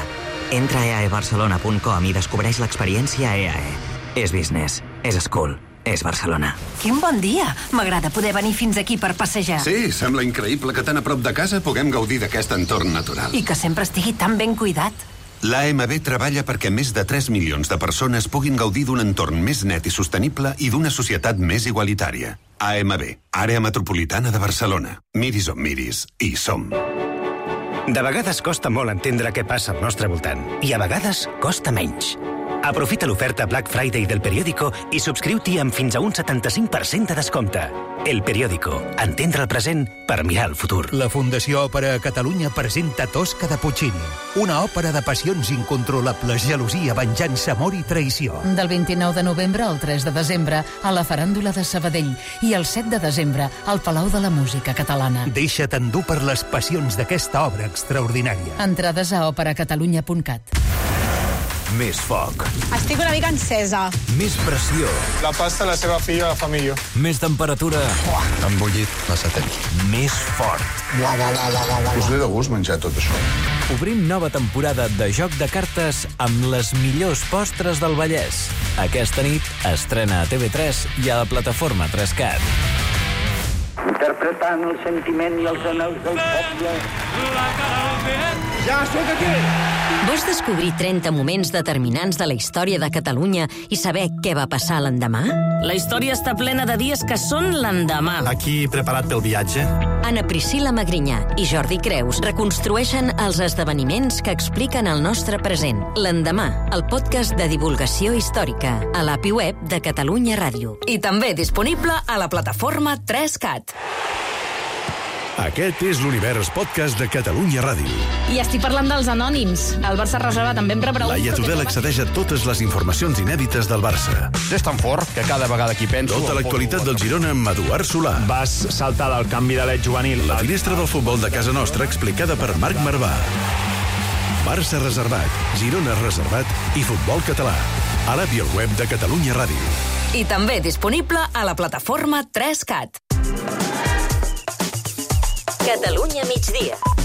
[SPEAKER 23] Entra a eaebarcelona.com i descobreix l'experiència EAE. És business, és school, és Barcelona.
[SPEAKER 9] Quin bon dia! M'agrada poder venir fins aquí per passejar.
[SPEAKER 18] Sí, sembla increïble que tan a prop de casa puguem gaudir d'aquest entorn natural.
[SPEAKER 9] I que sempre estigui tan ben cuidat.
[SPEAKER 18] L'AMB treballa perquè més de 3 milions de persones puguin gaudir d'un entorn més net i sostenible i d'una societat més igualitària. AMB, Àrea Metropolitana de Barcelona. Miris on miris, hi som.
[SPEAKER 11] De vegades costa molt entendre què passa al nostre voltant i a vegades costa menys. Aprofita l'oferta Black Friday del Periódico i subscriu-t'hi amb fins a un 75% de descompte. El Periódico. Entendre el present per mirar el futur.
[SPEAKER 26] La Fundació Òpera a Catalunya presenta Tosca de Puccini, una òpera de passions incontrolables, gelosia, venjança, amor i traïció.
[SPEAKER 12] Del 29 de novembre al 3 de desembre a la Faràndula de Sabadell i el 7 de desembre al Palau de la Música Catalana.
[SPEAKER 26] Deixa't endur per les passions d'aquesta obra extraordinària.
[SPEAKER 12] Entrades a operacatalunya.cat.
[SPEAKER 13] Més foc.
[SPEAKER 14] Estic una mica encesa.
[SPEAKER 13] Més pressió.
[SPEAKER 14] La pasta la seva filla, la fa millor.
[SPEAKER 13] Més temperatura.
[SPEAKER 14] Embullit, massa temps.
[SPEAKER 13] Més fort.
[SPEAKER 14] Us ve de gust menjar tot això.
[SPEAKER 13] Obrim nova temporada de Joc de Cartes amb les millors postres del Vallès. Aquesta nit estrena a TV3 i a la plataforma 3CAT.
[SPEAKER 15] Interpretant el sentiment i els anels del poble.
[SPEAKER 14] Ja sóc aquí!
[SPEAKER 9] Vols descobrir 30 moments determinants de la història de Catalunya i saber què va passar l'endemà?
[SPEAKER 16] La història està plena de dies que són l'endemà.
[SPEAKER 13] Aquí preparat pel viatge?
[SPEAKER 9] Anna Priscila Magrinyà i Jordi Creus reconstrueixen els esdeveniments que expliquen el nostre present. L'endemà, el podcast de divulgació històrica, a l'API web de Catalunya Ràdio.
[SPEAKER 16] I també disponible a la plataforma 3CAT.
[SPEAKER 17] Aquest és l'Univers Podcast de Catalunya Ràdio.
[SPEAKER 14] I estic parlant dels anònims. El Barça reservat també em prepara
[SPEAKER 17] Laia Tudel accedeix a totes les informacions inèdites del Barça.
[SPEAKER 20] És tan fort que cada vegada que hi penso...
[SPEAKER 17] Tota l'actualitat del Girona amb Eduard Solà.
[SPEAKER 20] Vas saltar del canvi de l'et juvenil.
[SPEAKER 17] La finestra del futbol de casa nostra explicada per Marc Marvà. Barça reservat, Girona reservat i futbol català. A l'app i al web de Catalunya Ràdio.
[SPEAKER 16] I també disponible a la plataforma 3CAT.
[SPEAKER 9] Catalunya migdia.